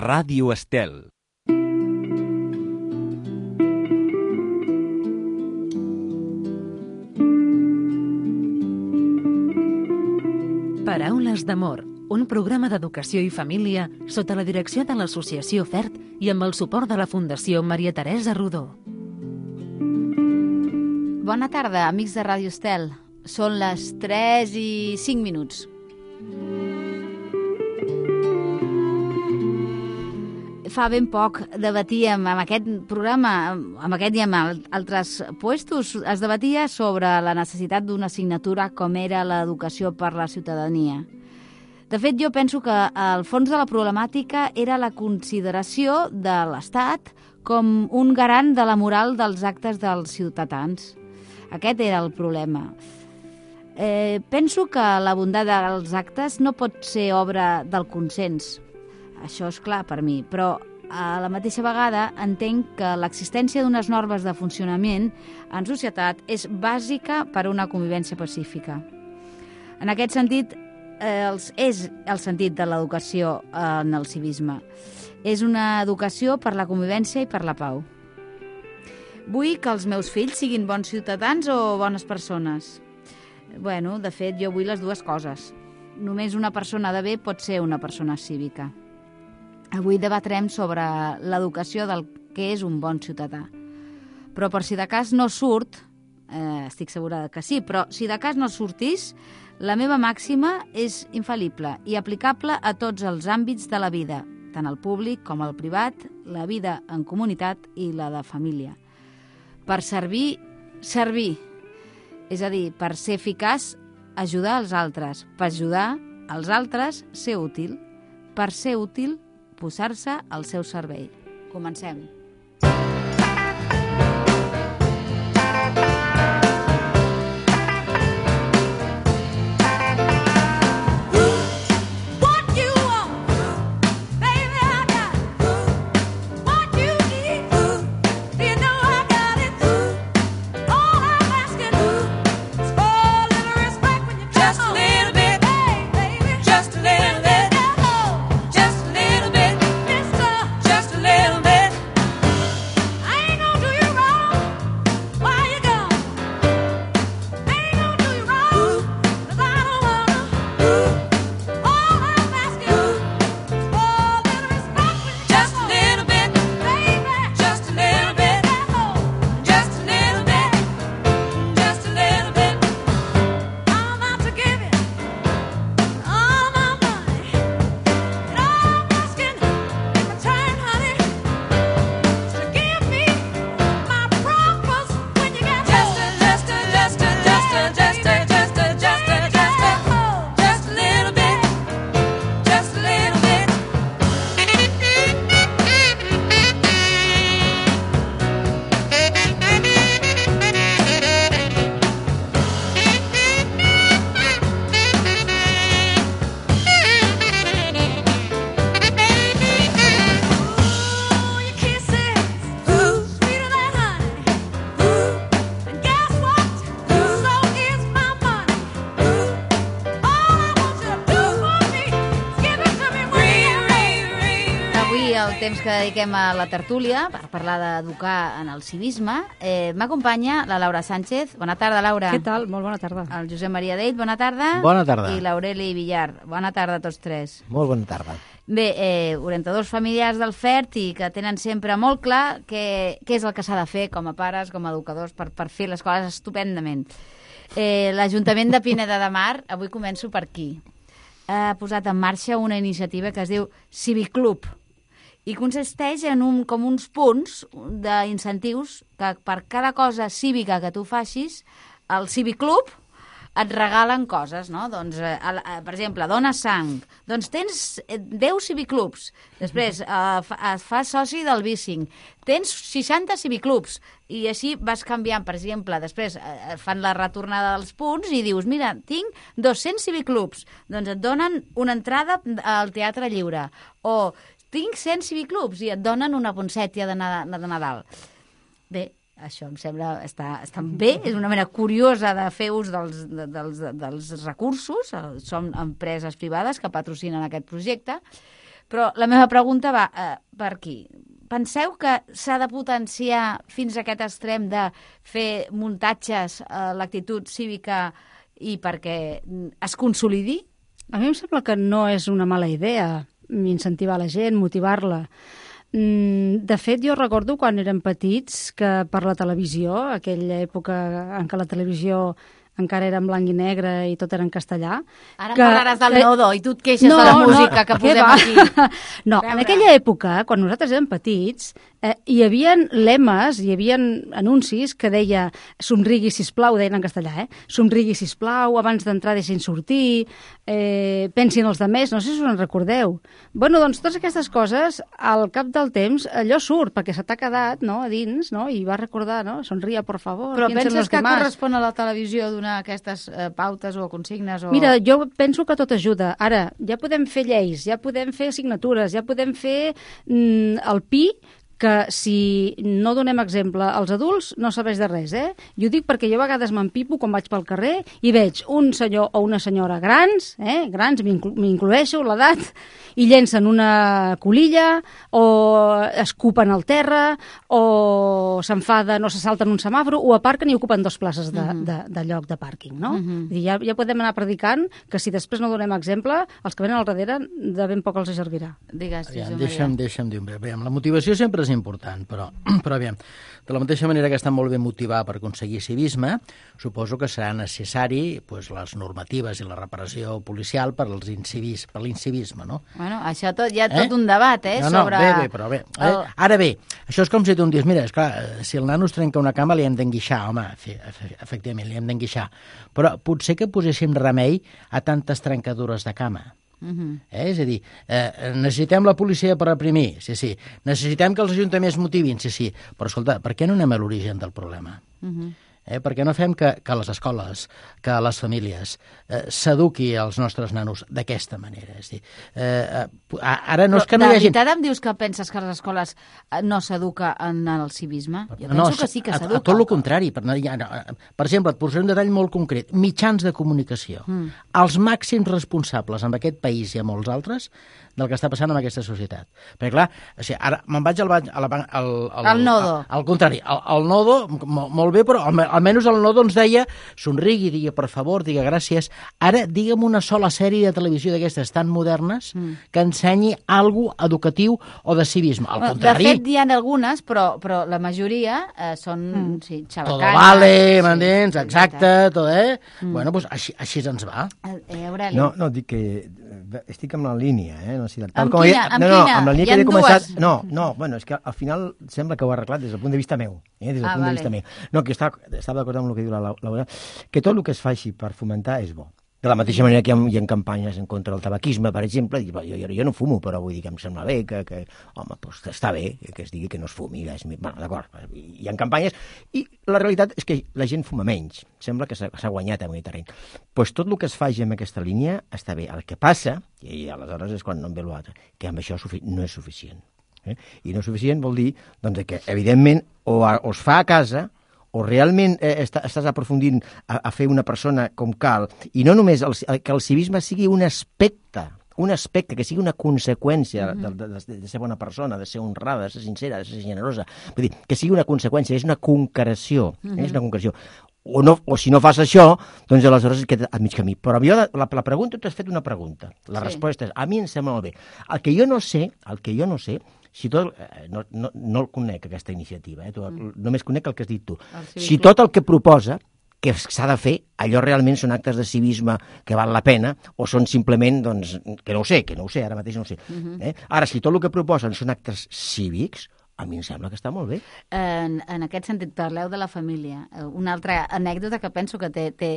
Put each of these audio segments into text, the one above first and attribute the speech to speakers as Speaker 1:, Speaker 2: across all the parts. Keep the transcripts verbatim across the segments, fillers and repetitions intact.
Speaker 1: Ràdio Estel.
Speaker 2: Paraules d'amor, un programa d'educació i família sota la direcció de l'Associació FERT i amb el suport de la Fundació Maria Teresa Rodó.
Speaker 3: Bona tarda, amics de Ràdio Estel. Són les tres i cinc minuts. Fa ben poc debatíem amb aquest programa, amb aquest i amb altres puestos, es debatia sobre la necessitat d'una assignatura com era l'educació per la ciutadania. De fet, jo penso que el fons de la problemàtica era la consideració de l'Estat com un garant de la moral dels actes dels ciutadans. Aquest era el problema. Eh, penso que la bondat dels actes no pot ser obra del consens. Això és clar per mi, però a la mateixa vegada entenc que l'existència d'unes normes de funcionament en societat és bàsica per a una convivència pacífica. En aquest sentit, eh, és el sentit de l'educació en el civisme. És una educació per la convivència i per la pau. Vull que els meus fills siguin bons ciutadans o bones persones? Bueno, de fet, jo vull les dues coses. Només una persona de bé pot ser una persona cívica. Avui debatrem sobre l'educació del que és un bon ciutadà. Però per si de cas no surt, eh, estic segura que sí, però si de cas no sortís, la meva màxima és infal·lible i aplicable a tots els àmbits de la vida, tant el públic com el privat, la vida en comunitat i la de família. Per servir, servir. És a dir, per ser eficaç, ajudar els altres. Per ajudar els altres, ser útil. Per ser útil, posar-se al seu servei. Comencem. Temps que dediquem a la tertúlia per parlar d'educar en el civisme. Eh, M'acompanya la Laura Sánchez. Bona tarda, Laura.
Speaker 4: Què tal? Molt bona tarda.
Speaker 3: El Josep Maria Dell, bona tarda.
Speaker 5: Bona tarda.
Speaker 3: I l'Aureli Villar. Bona tarda a tots tres.
Speaker 5: Molt bona tarda.
Speaker 3: Bé, eh, orientadors familiars del FERT i que tenen sempre molt clar què, què és el que s'ha de fer com a pares, com a educadors, per, per fer les coses estupendament. Eh, L'Ajuntament de Pineda de Mar, avui començo per aquí, ha posat en marxa una iniciativa que es diu Civiclub, i consisteix en un, com uns punts d'incentius que per cada cosa cívica que tu facis, el Civiclub et regalen coses, no? Doncs, eh, per exemple, dones sang, doncs tens deu civiclubs. Després eh, et fas soci del bicing, tens seixanta civiclubs, i així vas canviant. Per exemple, després eh, fan la retornada dels punts i dius, mira, tinc dos-cents civiclubs, doncs et donen una entrada al Teatre Lliure, o tinc cent civiclubs i et donen una ponsètia de Nadal. Bé, això em sembla està, està bé, és una manera curiosa de fer ús dels, dels, dels recursos. Som empreses privades que patrocinen aquest projecte, Però la meva pregunta va eh, per aquí. Penseu que s'ha de potenciar fins a aquest extrem de fer muntatges a l'actitud cívica i perquè es consolidi?
Speaker 1: A mi em sembla que no és una mala idea incentivar la gent, motivar-la. De fet, jo recordo quan érem petits que per la televisió, aquella època en què la televisió encara era en blanc i negre i tot era en castellà.
Speaker 3: Ara que, parlaràs del que... Nodo i tu et queixes no, de la música no, que posem
Speaker 1: va?
Speaker 3: aquí.
Speaker 1: No, en aquella època, quan nosaltres érem petits, eh, hi havia lemes, hi havia anuncis que deia somrigui, sisplau, deien en castellà, eh? Somrigui, sisplau, abans d'entrar deixin sortir, eh, pensin els demés, no sé si us en recordeu. Bueno, doncs totes aquestes coses, al cap del temps, allò surt, perquè se t'ha quedat, no?, a dins, no?, i va recordar, no?, sonria, por favor.
Speaker 3: Però penses que demás. Correspon a la televisió donar aquestes eh, pautes o consignes? O...
Speaker 1: Mira, jo penso que tot ajuda. Ara, ja podem fer lleis, ja podem fer assignatures, ja podem fer mm, el Pi, que si no donem exemple als adults no serveix de res, eh? I ho dic perquè jo a vegades m'empipo quan vaig pel carrer i veig un senyor o una senyora grans, eh? grans, m'incloeixo l'edat, i llencen una colilla o escupen al terra o s'enfaden o se salten un semàfor o aparquen i ocupen dos places de, uh-huh. de, de lloc de pàrquing, no? Uh-huh. I ja, ja podem anar predicant que si després no donem exemple, els que venen al darrere de ben poc els servirà.
Speaker 3: Digues,
Speaker 4: Aviam, deixa'm, deixa'm dir, aviam, la motivació sempre és important, però, però aviam, de la mateixa manera que està molt bé motivar per aconseguir civisme, suposo que serà necessari pues, les normatives i la reparació policial per als incivis, per l'incivisme, no?
Speaker 3: Bueno, això tot, hi ha tot eh? un debat, eh?
Speaker 4: No, no,
Speaker 3: sobre...
Speaker 4: bé, bé, però bé. Eh? El... Ara bé, això és com si tu em dius, mira, esclar, si el nano es trenca una cama li hem d'enguixar, home, efectivament, li hem d'enguixar, però potser que poséssim remei a tantes trencadures de cama. Uh-huh. eh? És a dir, eh, necessitem la policia per reprimir, sí, sí. Necessitem que els ajuntaments motivin, sí, sí. Però, escolta, per què no anem a l'origen del problema? Uh-huh. Eh? Per què no fem que, que les escoles, que les famílies eh, s'eduqui als nostres nanos d'aquesta manera? És a dir, eh, ara no és que no hi hagi...
Speaker 3: De veritat em dius que penses que a les escoles no s'educa en el civisme? Jo penso
Speaker 4: no,
Speaker 3: que sí que s'educa.
Speaker 4: A, a tot el contrari. Per, per exemple, et posaré un detall molt concret. Mitjans de comunicació. Mm. Els màxims responsables en aquest país i a molts altres del que està passant en aquesta societat. Perquè, clar, o sigui, ara me'n vaig al... Al, al, al,
Speaker 3: al nodo.
Speaker 4: Al, al contrari, al, al nodo, molt, molt bé, però al, almenys el nodo ens deia somrigui, digui per favor, digui gràcies. Ara, digue'm una sola sèrie de televisió d'aquestes tan modernes mm. que ensenyi alguna cosa educatiu o de civisme. Al
Speaker 3: bueno,
Speaker 4: contrari...
Speaker 3: De fet, hi ha algunes, però, però la majoria eh, són mm. sí, xabacanes.
Speaker 4: Todo vale, sí, m'entens? Exacte, tot, eh? Mm. Bueno, doncs així, així ens va.
Speaker 3: Eh, Aureli.
Speaker 5: No, no, dic que estic amb la línia, eh? No, tal,
Speaker 3: amb com quina? Amb
Speaker 5: no, no,
Speaker 3: quina?
Speaker 5: amb la línia
Speaker 3: Hi
Speaker 5: que he començat...
Speaker 3: dues?
Speaker 5: No, no, bueno, és que al final sembla que ho ha arreglat des del punt de vista meu, eh? Des del
Speaker 3: ah,
Speaker 5: punt
Speaker 3: vale.
Speaker 5: de vista meu. No, que estava, estava d'acord amb el que diu la Laura, que tot el que es faci per fomentar és bo. De la mateixa manera que hi ha, hi ha campanyes en contra del tabaquisme, per exemple, i, jo, jo, jo no fumo, però vull dir que em sembla bé, que, que home, doncs està bé que es digui que no es fumi. És, bueno, d'acord, hi ha campanyes, i la realitat és que la gent fuma menys. Sembla que s'ha guanyat en aquest terreny. Doncs tot el que es faci en aquesta línia està bé. El que passa, i aleshores és quan no em ve l'altre, que amb això no és suficient. Eh? I no és suficient vol dir doncs, que, evidentment, o, a, o es fa a casa, o realment eh, està, estàs aprofundint a, a fer una persona com cal, i no només el, que el civisme sigui un aspecte, un aspecte, que sigui una conseqüència mm-hmm. de, de, de ser bona persona, de ser honrada, de ser sincera, de ser generosa. Vull dir, que sigui una conseqüència, és una concreció, mm-hmm. és una concreció. O, no, o si no fas això, doncs aleshores es queda a mig camí. Però jo, la, la pregunta, tu has fet una pregunta. La sí. resposta és, a mi em sembla molt bé. El que jo no sé, el que jo no sé, si tot, eh, no, no, no el conec, aquesta iniciativa, eh? tu, mm. només conec el que has dit tu. Si tot el que proposa que s'ha de fer, allò realment són actes de civisme que val la pena, o són simplement, doncs, que no ho sé, que no ho sé, ara mateix no ho sé. Mm-hmm. eh? Ara, si tot el que proposen són actes cívics, a mi em sembla que està molt bé.
Speaker 3: En, en aquest sentit, parleu de la família. Una altra anècdota que penso que té, té,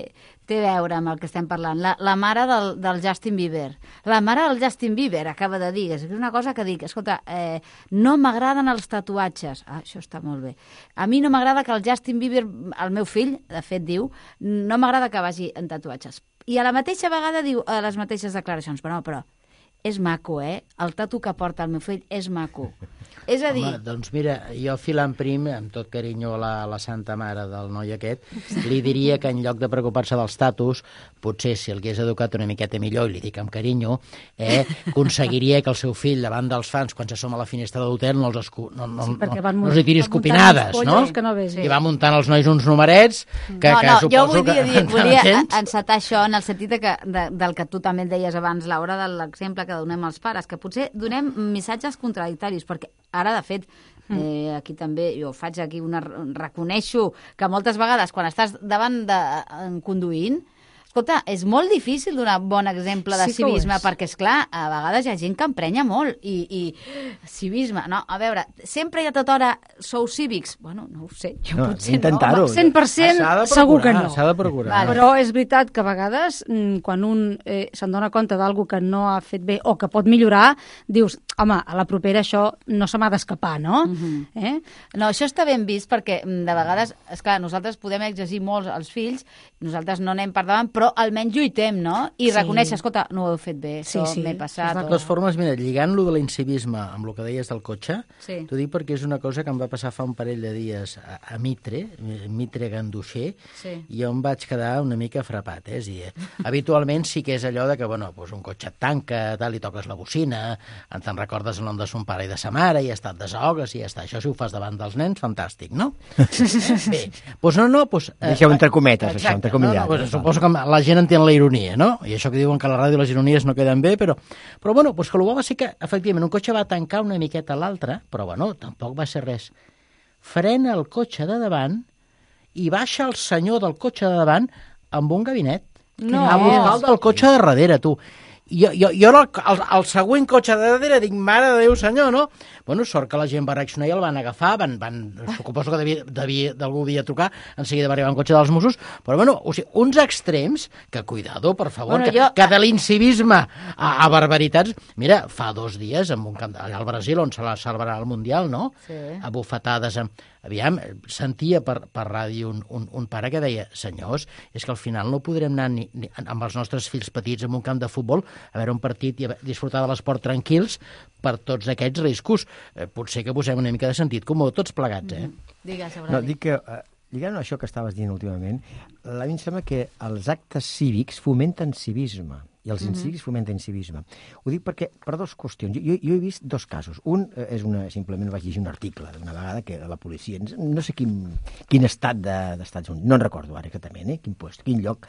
Speaker 3: té a veure amb el que estem parlant. La, la mare del, del Justin Bieber. La mare del Justin Bieber acaba de dir, és una cosa que dic, escolta, eh, no m'agraden els tatuatges. Ah, això està molt bé. A mi no m'agrada que el Justin Bieber, el meu fill, de fet diu, no m'agrada que vagi en tatuatges. I a la mateixa vegada diu a les mateixes declaracions, però no, però és maco, eh? El tatu que porta el meu fill és maco. És a dir...
Speaker 4: Home, doncs mira, jo filant prim, amb tot carinyo a la, a la santa mare del noi aquest, li diria que en lloc de preocupar-se dels tatus, potser si el hagués educat una miqueta millor, i li dic amb carinyo, eh, aconseguiria que el seu fill, davant dels fans, quan se som a la finestra de l'hotel, no els, escu... no, no,
Speaker 1: Sí,
Speaker 4: no,
Speaker 1: perquè van
Speaker 4: no els hi tiri
Speaker 1: van
Speaker 4: escopinades,
Speaker 1: muntant
Speaker 4: no?
Speaker 1: uns pollos que no ves, sí.
Speaker 4: I va muntant els nois uns numerets que,
Speaker 3: no,
Speaker 4: que
Speaker 3: no,
Speaker 4: suposo
Speaker 3: jo vull dir,
Speaker 4: que...
Speaker 3: dir volia encetar això en el sentit de que, de, del que tu també et deies abans, Laura, de l'exemple que donem als pares, que potser donem missatges contradictoris, perquè ara, de fet, eh, aquí també, jo faig aquí una... reconeixo que moltes vegades quan estàs davant de conduint, escolta, és molt difícil donar bon exemple de
Speaker 1: Sí que ho
Speaker 3: civisme,
Speaker 1: és.
Speaker 3: perquè, esclar, a vegades hi ha gent que emprenya molt, i, i civisme, no? A veure, sempre i a tota hora sou cívics? Bueno, no ho sé, jo
Speaker 5: No,
Speaker 3: potser
Speaker 5: intentar-ho.
Speaker 3: no.
Speaker 1: cent per cent
Speaker 4: S'ha de
Speaker 1: segur que
Speaker 4: procurar,
Speaker 1: no.
Speaker 4: S'ha de procurar.
Speaker 3: Vale.
Speaker 1: Però és veritat que a vegades, mm, quan un eh, se'n dona compte d'algú que no ha fet bé o que pot millorar, dius, home, a la propera això no se m'ha d'escapar, no?
Speaker 3: Mhm.
Speaker 1: eh?
Speaker 3: No, això està ben vist perquè mm, de vegades, esclar, nosaltres podem exigir molt als fills, nosaltres no anem per davant, però almenys lluitem, no? I
Speaker 1: Sí.
Speaker 3: reconèixer, escolta, no ho heu fet bé,
Speaker 1: Sí,
Speaker 3: això
Speaker 1: sí,
Speaker 3: m'he passat.
Speaker 1: és
Speaker 4: De totes formes, mira, lligant-lo de l'incivisme amb el que deies del cotxe,
Speaker 3: Sí.
Speaker 4: t'ho dic perquè és una cosa que em va passar fa un parell de dies a, a Mitre, Mitre Ganduixer,
Speaker 3: Sí.
Speaker 4: i jo em vaig quedar una mica frapat. Eh? És a dir, habitualment sí que és allò de que, bueno, doncs un cotxe et tanca, tal, i toques la bocina, te'n recordes el nom de son pare i de sa mare, i ja està, et desahogues, i ja està. Això si ho fas davant dels nens, fantàstic, no? Bé, doncs no, no, doncs... eh,
Speaker 5: Deixeu entre cometes, això,
Speaker 4: exacte,
Speaker 5: entre comillas.
Speaker 4: No, no, doncs suposo que la gent entén la ironia, no? I això que diuen que a la ràdio les ironies no queden bé, però, però bueno, doncs que el bo va ser que, efectivament, un cotxe va tancar una miqueta a l'altre, però bueno, tampoc va ser res. Frena el cotxe de davant i baixa el senyor del cotxe de davant amb un gabinet.
Speaker 3: No.
Speaker 4: A buscar el del cotxe de darrere, tu. Jo, jo, jo el, el, el següent cotxe de darrere dic, mare de Déu, senyor, no? Bueno, sort que la gent va reaccionar i el van agafar, van, van, suposo que devia, devia, d'algú devia trucar, en seguida va arribar un cotxe dels Mossos, però bueno, o sigui, uns extrems, que cuidado, per favor,
Speaker 3: Bueno,
Speaker 4: que,
Speaker 3: jo-
Speaker 4: que de l'incivisme a, a barbaritats... Mira, fa dos dies, en un camp, allà al Brasil, on se la celebrarà el Mundial, no?
Speaker 3: Sí.
Speaker 4: A bufetades amb... Aviam, sentia per, per ràdio un, un, un pare que deia, senyors, és que al final no podrem anar ni, ni, amb els nostres fills petits en un camp de futbol a veure un partit i a disfrutar de l'esport tranquils per tots aquests riscos. Eh, potser que posem una mica de sentit comú, tots plegats, eh?
Speaker 3: Digues,
Speaker 5: No,
Speaker 3: Aureli.
Speaker 5: dic que, eh, lligant a això que estaves dient últimament, a mi em sembla que els actes cívics fomenten civisme, i els incívics fomenten civisme. Ho dic perquè, per dues qüestions. Jo, jo he vist dos casos. Un eh, és una, simplement vaig llegir un article d'una vegada que la policia, no sé quin, quin estat de, d'Estats Units, no en recordo ara exactament, eh, quin lloc, quin lloc,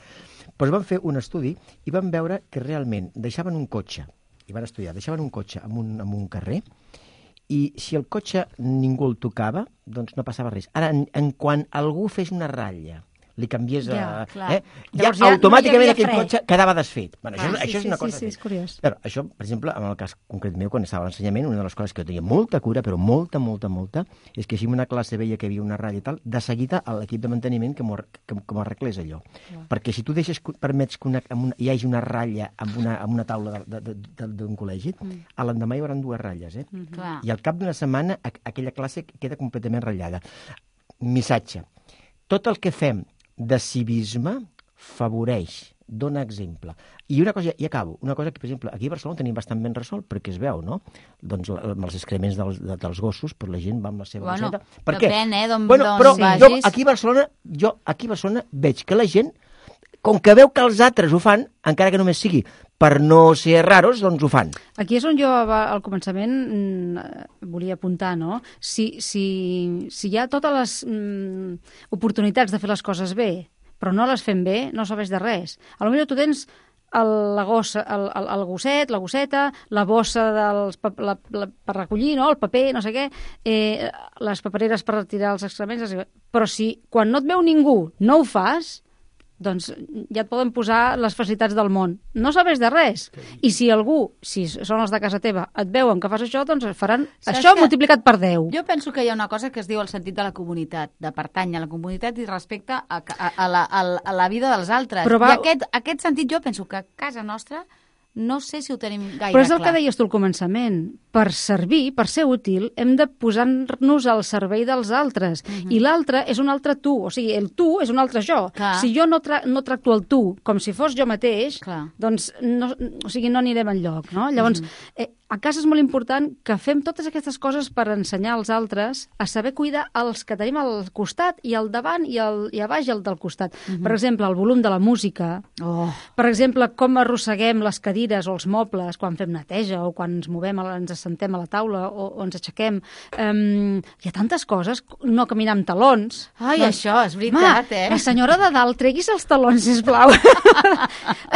Speaker 5: però van fer un estudi i van veure que realment deixaven un cotxe, i van estudiar, deixaven un cotxe en un, en un carrer, i si el cotxe ningú el tocava, doncs no passava res. Ara, en, en quan algú fes una ratlla, li canvies a...
Speaker 3: Ja, clar.
Speaker 5: eh, ja
Speaker 1: Llavors ja no hi
Speaker 5: automàticament
Speaker 1: havia
Speaker 5: aquell
Speaker 1: fre.
Speaker 5: cotxe quedava desfet. Bueno, això,
Speaker 1: Ah,
Speaker 5: això
Speaker 1: sí,
Speaker 5: és
Speaker 1: sí,
Speaker 5: una
Speaker 1: sí,
Speaker 5: cosa...
Speaker 1: sí, és curiós.
Speaker 5: Però això, per exemple, en el cas concret meu, quan estava a l'ensenyament, una de les coses que jo tenia molta cura, però molta, molta, molta, és que si en una classe veia que hi havia una ratlla i tal, de seguida a l'equip de manteniment que m'ho ar- que, que m'ho arreglés allò. Perquè si tu deixes, permets que una, amb una, hi hagi una ratlla amb una, amb una taula de- de- de- d'un col·legi, a l'endemà hi haurà dues ratlles, eh?
Speaker 3: Clar.
Speaker 5: I al cap d'una setmana a- aquella classe queda completament ratllada. Missatge. Tot el que fem de civisme favoreix, dona exemple. I una cosa, i acabo, una cosa que, per exemple, aquí a Barcelona tenim bastant ben resolt, perquè es veu, no? Doncs la- amb els excrements dels, de, dels gossos, però la gent va amb la seva
Speaker 3: Bueno,
Speaker 5: bosseta. Per què?
Speaker 3: depèn, eh, d'on-
Speaker 5: bueno,
Speaker 3: d'on
Speaker 5: però
Speaker 3: vagis.
Speaker 5: jo aquí a Barcelona, jo aquí a Barcelona veig que la gent, com que veu que els altres ho fan, encara que només sigui per no ser raros, doncs ho fan.
Speaker 1: Aquí és on jo va- al començament mm, eh, volia apuntar, no? Si, si, si hi ha totes les mm, oportunitats de fer les coses bé, però no les fem bé, no serveix de res. A lo millor tu tens el, la gossa, el, el, el gosset, la gosseta, la bossa dels, pa- la, la, per recollir, no? El paper, no sé què, eh, les papereres per retirar els excrements, però si quan no et veu ningú no ho fas, doncs ja et poden posar les facilitats del món. No serveix de res. I si algú, si són els de casa teva, et veuen que fas això, doncs faran
Speaker 3: Saps
Speaker 1: això
Speaker 3: que
Speaker 1: multiplicat per deu.
Speaker 3: Jo penso que hi ha una cosa que es diu el sentit de la comunitat, de pertany a la comunitat i respecte a, a, a, la, a, la- a la vida dels altres.
Speaker 1: Però va-
Speaker 3: I aquest, aquest sentit jo penso que a casa nostra no sé si ho tenim gaire clar.
Speaker 1: Però és el que deies tu al començament. Per servir, per ser útil, hem de posar-nos al servei dels altres. Uh-huh. I l'altre és un altre tu. O sigui, el tu és un altre jo.
Speaker 3: Clar.
Speaker 1: Si jo no, tra no tracto el tu com si fos jo mateix,
Speaker 3: Clar.
Speaker 1: doncs no, o sigui, no anirem enlloc. No? Llavors, uh-huh. eh, a casa és molt important que fem totes aquestes coses per ensenyar als altres a saber cuidar els que tenim al costat i al davant i, al, i a baix i al del costat. Uh-huh. Per exemple, el volum de la música.
Speaker 3: Oh.
Speaker 1: Per exemple, com arrosseguem les cadires o els mobles quan fem neteja o quan ens movem, ens assentem a la taula o, o ens aixequem. Um, hi ha tantes coses. No caminar amb talons.
Speaker 3: Ai,
Speaker 1: doncs,
Speaker 3: això és veritat,
Speaker 1: ma,
Speaker 3: eh?
Speaker 1: La senyora de dalt, treguis els talons, sisplau.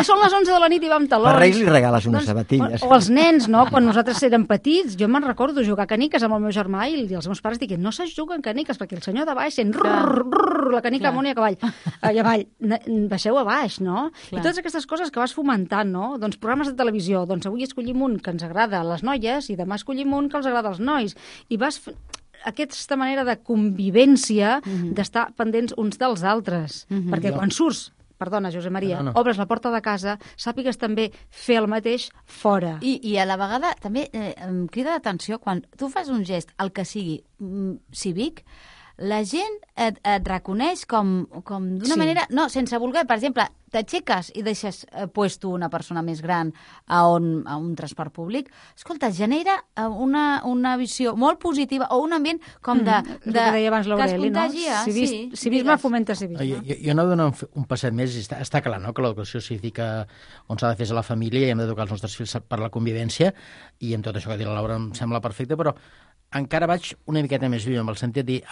Speaker 1: Són les onze de la nit i va amb talons.
Speaker 5: Per Reis li regales unes sabatilles.
Speaker 1: O, o els nens, no? Quan nosaltres érem petits, jo me'n recordo jugar a caniques amb el meu germà i els meus pares diuen no saps jugar en caniques perquè el senyor de baix sent rrr, rrr, la canica amunt i avall. I avall. Baixeu a baix, no? Clar. I totes aquestes coses que vas fomentant, no? Doncs programes de televisió, doncs avui escollim un que ens agrada a les noies i demà escollim un que els agrada als nois. I vas aquesta manera de convivència, mm-hmm. d'estar pendents uns dels altres. Mm-hmm. Perquè quan surts, perdona, Josep Maria, no, no. obres la porta de casa, sàpigues també fer el mateix fora.
Speaker 3: I, i a la vegada també eh, em crida l'atenció quan tu fas un gest, el que sigui mm, cívic, la gent et, et reconeix com, com d'una
Speaker 1: sí.
Speaker 3: manera... No, sense voler, per exemple, t'aixeques i deixes eh, puesto una persona més gran a, on, a un transport públic, escolta, genera una, una visió molt positiva o un ambient com de...
Speaker 1: Mm, de que deia abans l'Aureli, no? Civis,
Speaker 3: sí,
Speaker 1: civisme fomenta civisme.
Speaker 4: Jo, jo no dono un passet més, està, està clar, no?, que l'educació cívica on s'ha de fer és a la família i hem d'educar els nostres fills per la convivència i en tot això que ha dit la Laura em sembla perfecte, però encara vaig una miqueta més lluny, amb el sentit de dir,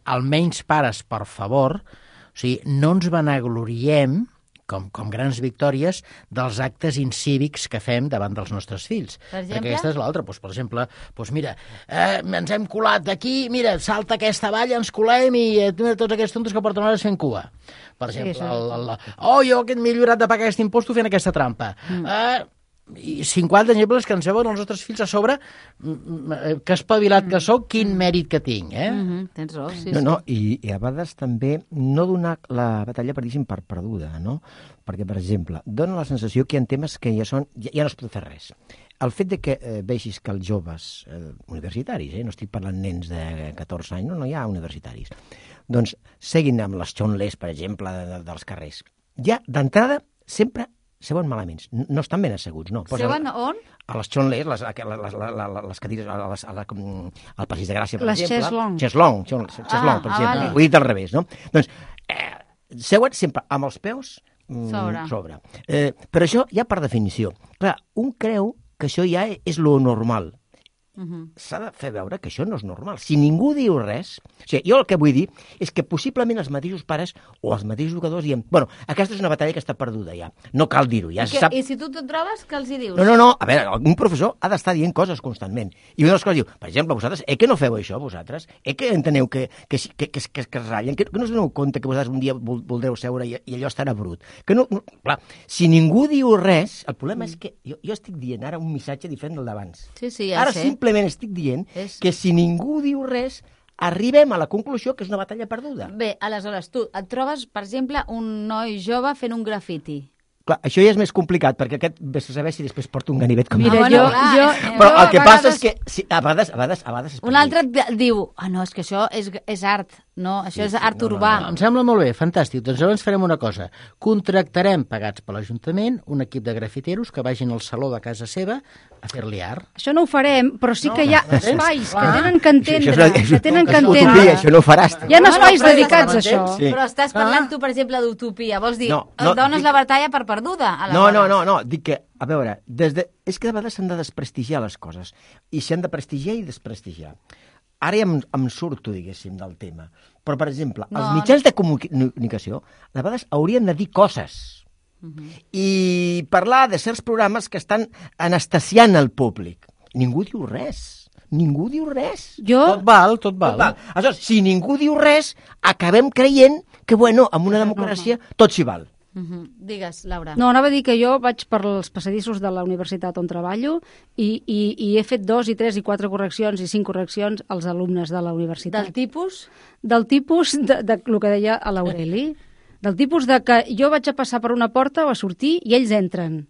Speaker 4: almenys pares, per favor, o sigui, no ens vanagloriem com, com grans victòries dels actes incívics que fem davant dels nostres fills.
Speaker 3: Per exemple?
Speaker 4: Perquè aquesta és l'altra. Pues, per exemple, pues mira, eh, ens hem colat d'aquí, mira, salta aquesta valla, ens colem i eh, tots aquests tontos que porten hores fent cua. Per exemple, sí, el, el, el, oh, jo que m'he lliurat de pagar aquest impost fent aquesta trampa. Mm. Eh, i cinquanta exemples que ens veuen els nostres fills a sobre que espavilat que sóc, quin mèrit que tinc, eh?
Speaker 3: Mm-hmm, tens raó, sí,
Speaker 5: no,
Speaker 3: sí.
Speaker 5: No, i, i a vegades també no donar la batalla, per dir-ho, per perduda, no? Perquè, per exemple, dona la sensació que hi ha temes que ja són, ja, ja no es pot fer res. El fet de que eh, vegis que els joves eh, universitaris, eh, no estic parlant nens de catorze anys, no, no hi ha universitaris, doncs seguin amb les xonles, per exemple, de, de, dels carrers. Ja, d'entrada, sempre seuen malament. No estan ben asseguts, no. Posa
Speaker 3: seuen on?
Speaker 5: A les xonles, les, les, les, les cadires, a les, a la, al Passeig de Gràcia, per
Speaker 1: les
Speaker 5: exemple.
Speaker 1: Cheslong.
Speaker 5: Cheslong, Cheslong,
Speaker 3: ah,
Speaker 5: per
Speaker 3: ah,
Speaker 5: exemple.
Speaker 3: Vale.
Speaker 5: Ho he dit al revés, no? Doncs, eh, seuen sempre amb els peus mm,
Speaker 3: sobre.
Speaker 5: sobre. Eh, però això ja per definició. Clar, un creu que això ja és lo normal. Uh-huh. S'ha de fer veure que això no és normal. Si ningú diu res... O sigui, jo el que vull dir és que possiblement els mateixos pares o els mateixos jugadors diem bueno, aquesta és una batalla que està perduda ja. No cal dir-ho, ja
Speaker 3: I,
Speaker 5: se
Speaker 3: que,
Speaker 5: sap...
Speaker 3: I si tu te'n trobes, què els hi dius?
Speaker 5: No, no, no. A veure, un professor ha d'estar dient coses constantment. I una de les coses diu, per exemple, vosaltres, eh que no feu això, vosaltres? Eh que enteneu que, que, que, que, que, que es ratllen? Que, que no us doneu compte que vosaltres un dia vol, voldreu seure i, i allò estarà brut? Que no, no... Clar, si ningú diu res, el problema mm. és que jo, jo estic dient ara un missatge diferent del d'abans.
Speaker 3: Sí, sí, ja
Speaker 5: ara
Speaker 3: sé.
Speaker 5: simplement estic dient és... que si ningú diu res, arribem a la conclusió que és una batalla perduda.
Speaker 3: Bé, aleshores, tu et trobes, per exemple, un noi jove fent un grafiti.
Speaker 5: Clar, això ja és més complicat, perquè aquest vés a saber si després porta un ganivet com...
Speaker 1: Mira,
Speaker 3: ah, bueno,
Speaker 1: jo,
Speaker 3: clar,
Speaker 1: jo,
Speaker 3: eh,
Speaker 5: Però
Speaker 3: jo
Speaker 5: el que
Speaker 3: a
Speaker 5: passa
Speaker 3: vegades...
Speaker 5: és que... Sí, a vegades, a vegades, a vegades...
Speaker 3: Un altre et diu, ah, no, és que això és, és art, no, això
Speaker 5: Sí,
Speaker 3: és
Speaker 5: sí,
Speaker 3: art
Speaker 5: no, no,
Speaker 3: urbà.
Speaker 4: Em sembla molt bé, fantàstic. Doncs llavors farem una cosa. Contractarem, pagats per l'Ajuntament, un equip de grafiteros que vagin al saló de casa seva a fer-li art.
Speaker 1: Això no ho farem, però sí
Speaker 4: No,
Speaker 1: que hi ha
Speaker 4: no, no,
Speaker 1: espais que
Speaker 4: clar.
Speaker 1: tenen que entendre,
Speaker 5: Això, això,
Speaker 1: que tenen que
Speaker 5: això,
Speaker 1: entendre.
Speaker 5: utopia, això no ho faràs.
Speaker 1: Hi ha
Speaker 3: Bueno,
Speaker 1: espais
Speaker 3: però
Speaker 1: dedicats a
Speaker 3: estàs-
Speaker 1: això.
Speaker 5: Sí.
Speaker 3: Però estàs parlant
Speaker 4: Ah.
Speaker 3: tu, per exemple, d'utopia. Vols dir,
Speaker 5: No,
Speaker 3: no,
Speaker 5: no,
Speaker 3: dones
Speaker 5: dic-
Speaker 3: la batalla per perduda.
Speaker 5: No, no,
Speaker 3: aleshores.
Speaker 5: no, no, dic que, a veure, des de... és que de vegades s'han de desprestigiar les coses, i s'han de prestigiar i desprestigiar. Ara ja em, em surto, diguéssim, del tema. Però, per exemple,
Speaker 3: No,
Speaker 5: els mitjans de comunicació de vegades haurien de dir coses
Speaker 3: Uh-huh.
Speaker 5: i parlar de certs programes que estan anestesiant el públic. Ningú diu res. Ningú diu res.
Speaker 1: Jo,
Speaker 4: Tot val, tot val.
Speaker 5: Tot val. Aleshores, si ningú diu res, acabem creient que, bueno, en una democràcia tot s'hi val.
Speaker 3: Uh-huh. Digues, Laura.
Speaker 1: no, anava a dir que jo vaig per els passadissos de la universitat on treballo i, i, i he fet dos i tres i quatre correccions i cinc correccions als alumnes de la universitat.
Speaker 3: Del tipus?
Speaker 1: Del tipus de, de, de el que deia a l'Aureli. Del tipus de que jo vaig a passar per una porta o a sortir i ells entren.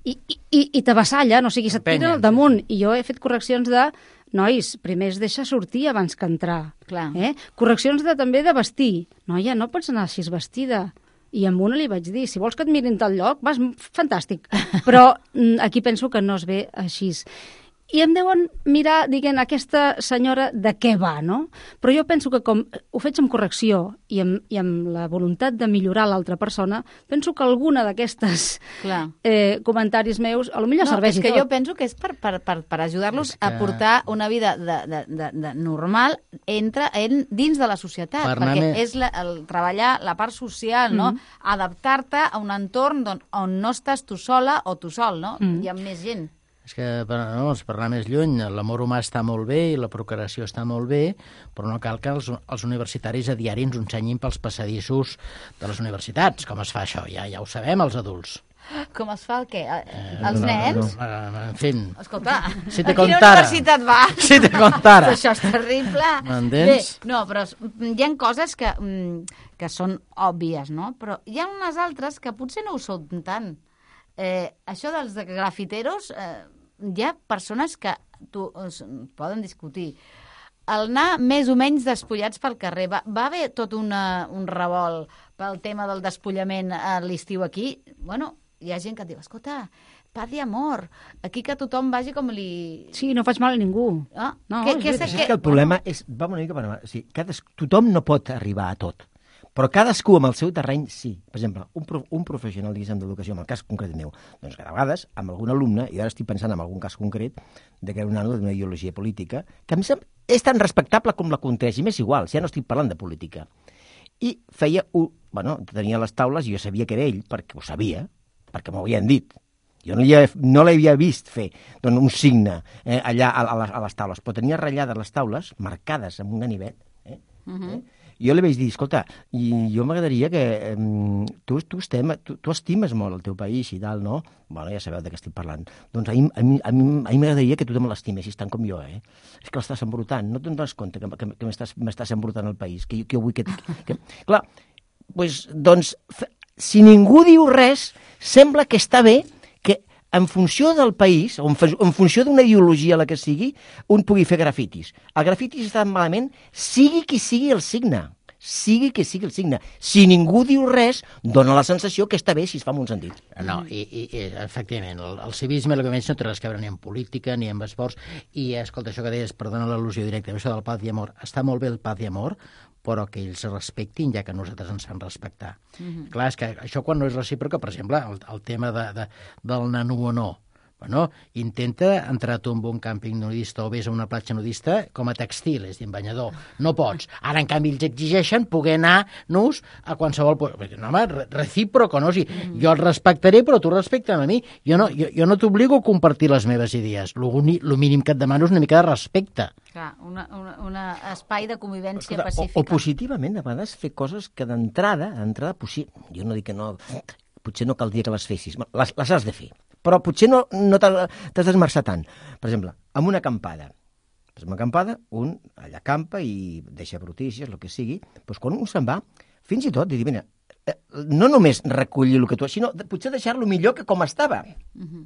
Speaker 1: i, i, i t'avassalla, no? O sigui, se't tira
Speaker 4: Empenya,
Speaker 1: al damunt. I jo he fet correccions de, nois, primer es deixa sortir abans que entrar.
Speaker 3: Clar.
Speaker 1: Eh? Correccions de, també de vestir. Noia, no pots anar així vestida. I amb una li vaig dir, si vols que et mirin tal lloc, vas, fantàstic. Però mm, aquí penso que no es ve així. I em deuen mirar, diguem, aquesta senyora de què va, no? Però jo penso que com ho faig amb correcció i amb, i amb la voluntat de millorar l'altra persona, penso que alguna d'aquestes eh, comentaris meus a lo millor
Speaker 3: no,
Speaker 1: serveix i tot.
Speaker 3: És que jo penso que és per, per, per, per ajudar-los que... a portar una vida de, de, de, de normal entre, en, dins de la societat, per perquè més... és la, el treballar la part social, no? Mm. Adaptar-te a un entorn on, on no estàs tu sola o tu sol, no? Mm. Hi ha més gent.
Speaker 4: És que, per, no, per anar més lluny, l'amor humà està molt bé i la procreació està molt bé, però no cal que els, els universitaris a diari ens ensenyin pels passadissos de les universitats. Com es fa això? Ja, ja ho sabem, els adults.
Speaker 3: Com es fa el què? Els no, nens?
Speaker 4: No, no, en fi...
Speaker 3: Escolta,
Speaker 4: si te
Speaker 3: a quina
Speaker 4: contara,
Speaker 3: universitat va?
Speaker 4: Si te contara.
Speaker 3: Això és terrible.
Speaker 4: M'entens?
Speaker 3: Bé, no, però hi ha coses que, que són òbvies, no? Però hi ha unes altres que potser no ho són tant. Eh, això dels grafiteros, eh, hi ha persones que tu, es, poden discutir. El anar més o menys despullats pel carrer, va, va haver tot una, un revolt pel tema del despullament a l'estiu aquí. Bueno, hi ha gent que et diu, escolta, paz i amor, aquí que tothom vagi com li...
Speaker 1: Sí, no faig mal a ningú.
Speaker 3: Ah,
Speaker 1: no,
Speaker 3: que, que,
Speaker 1: és,
Speaker 3: que,
Speaker 5: és que el problema bueno. és... Va una mica per... O sigui, cades, tothom no pot arribar a tot. Però cadascú amb el seu terreny, sí. Per exemple, un, prof, un professional, diguéssim, d'educació, en el cas concret meu, doncs que de vegades, amb algun alumne, i ara estic pensant en algun cas concret, de que era un nano d'una ideologia política, que a mi és tan respectable com la contreix, i m'és igual, si ja no estic parlant de política. I feia, un, bueno, tenia les taules, i jo sabia que era ell, perquè ho sabia, perquè m'ho havien dit. Jo no l'havia vist fer doncs, un signe eh, allà a, a, les, a les taules, però tenia ratllades les taules, marcades amb un ganivet, eh? Uh -huh. eh? Jo li vaig dir, escolta, i jo m'agradaria que eh, tu, tu, estem, tu, tu estimes molt el teu país i tal, no? Bueno, ja sabeu de què estic parlant. Doncs a mi, a mi, a mi, a mi m'agradaria que tu me l'estimessis tant com jo, eh? És que l'estàs embrutant, no te'n dones compte que, que, que m'estàs embrutant el país, que jo, que jo vull que... que... Clar, pues, doncs, si ningú diu res, sembla que està bé que en funció del país, o en, en funció d'una ideologia la que sigui, un pugui fer grafitis. El grafitis està malament, sigui qui sigui el signe. Sigui qui sigui el signe. Si ningú diu res, dona la sensació que està bé si es fa en un sentit.
Speaker 4: No, i, i, i efectivament, el, el civisme, el que menys no té res que veure ni en política ni en esports, i escolta, això que deies, perdona l'al·lusió directa, això del paz i amor, està molt bé el paz i amor, però que ells respectin ja que nosaltres ens fan respectar. Mm-hmm. Clar, és que això quan no és recíproca, per exemple, el, el tema de, de, del nano o no, bueno, intenta entrar tu en un càmping nudista o vés a una platja nudista com a textil, és a dir, en banyador. No pots. Ara, en canvi, ells exigeixen poder anar nus a qualsevol... No, home, recíproco, no? O sigui, mm. jo el respectaré, però tu respecta'm a mi. Jo no, jo, jo no t'obligo a compartir les meves idees. El mínim que et demano és una mica de respecte.
Speaker 3: Clar, un una, una espai de convivència
Speaker 5: Escolta,
Speaker 3: pacífica.
Speaker 5: O, o positivament, a vegades, fer coses que d'entrada, d'entrada, jo no dic que no... Potser no caldria que les fessis. Les, les has de fer. Però potser no, no t'has d'esmerçar tant. Per exemple, amb una acampada. Amb una acampada, un allà acampa i deixa brutícies, el que sigui, doncs quan un se'n va, fins i tot, dir, mira, no només recollir el que tu has, sinó potser deixar-lo millor que com estava. Uh-huh.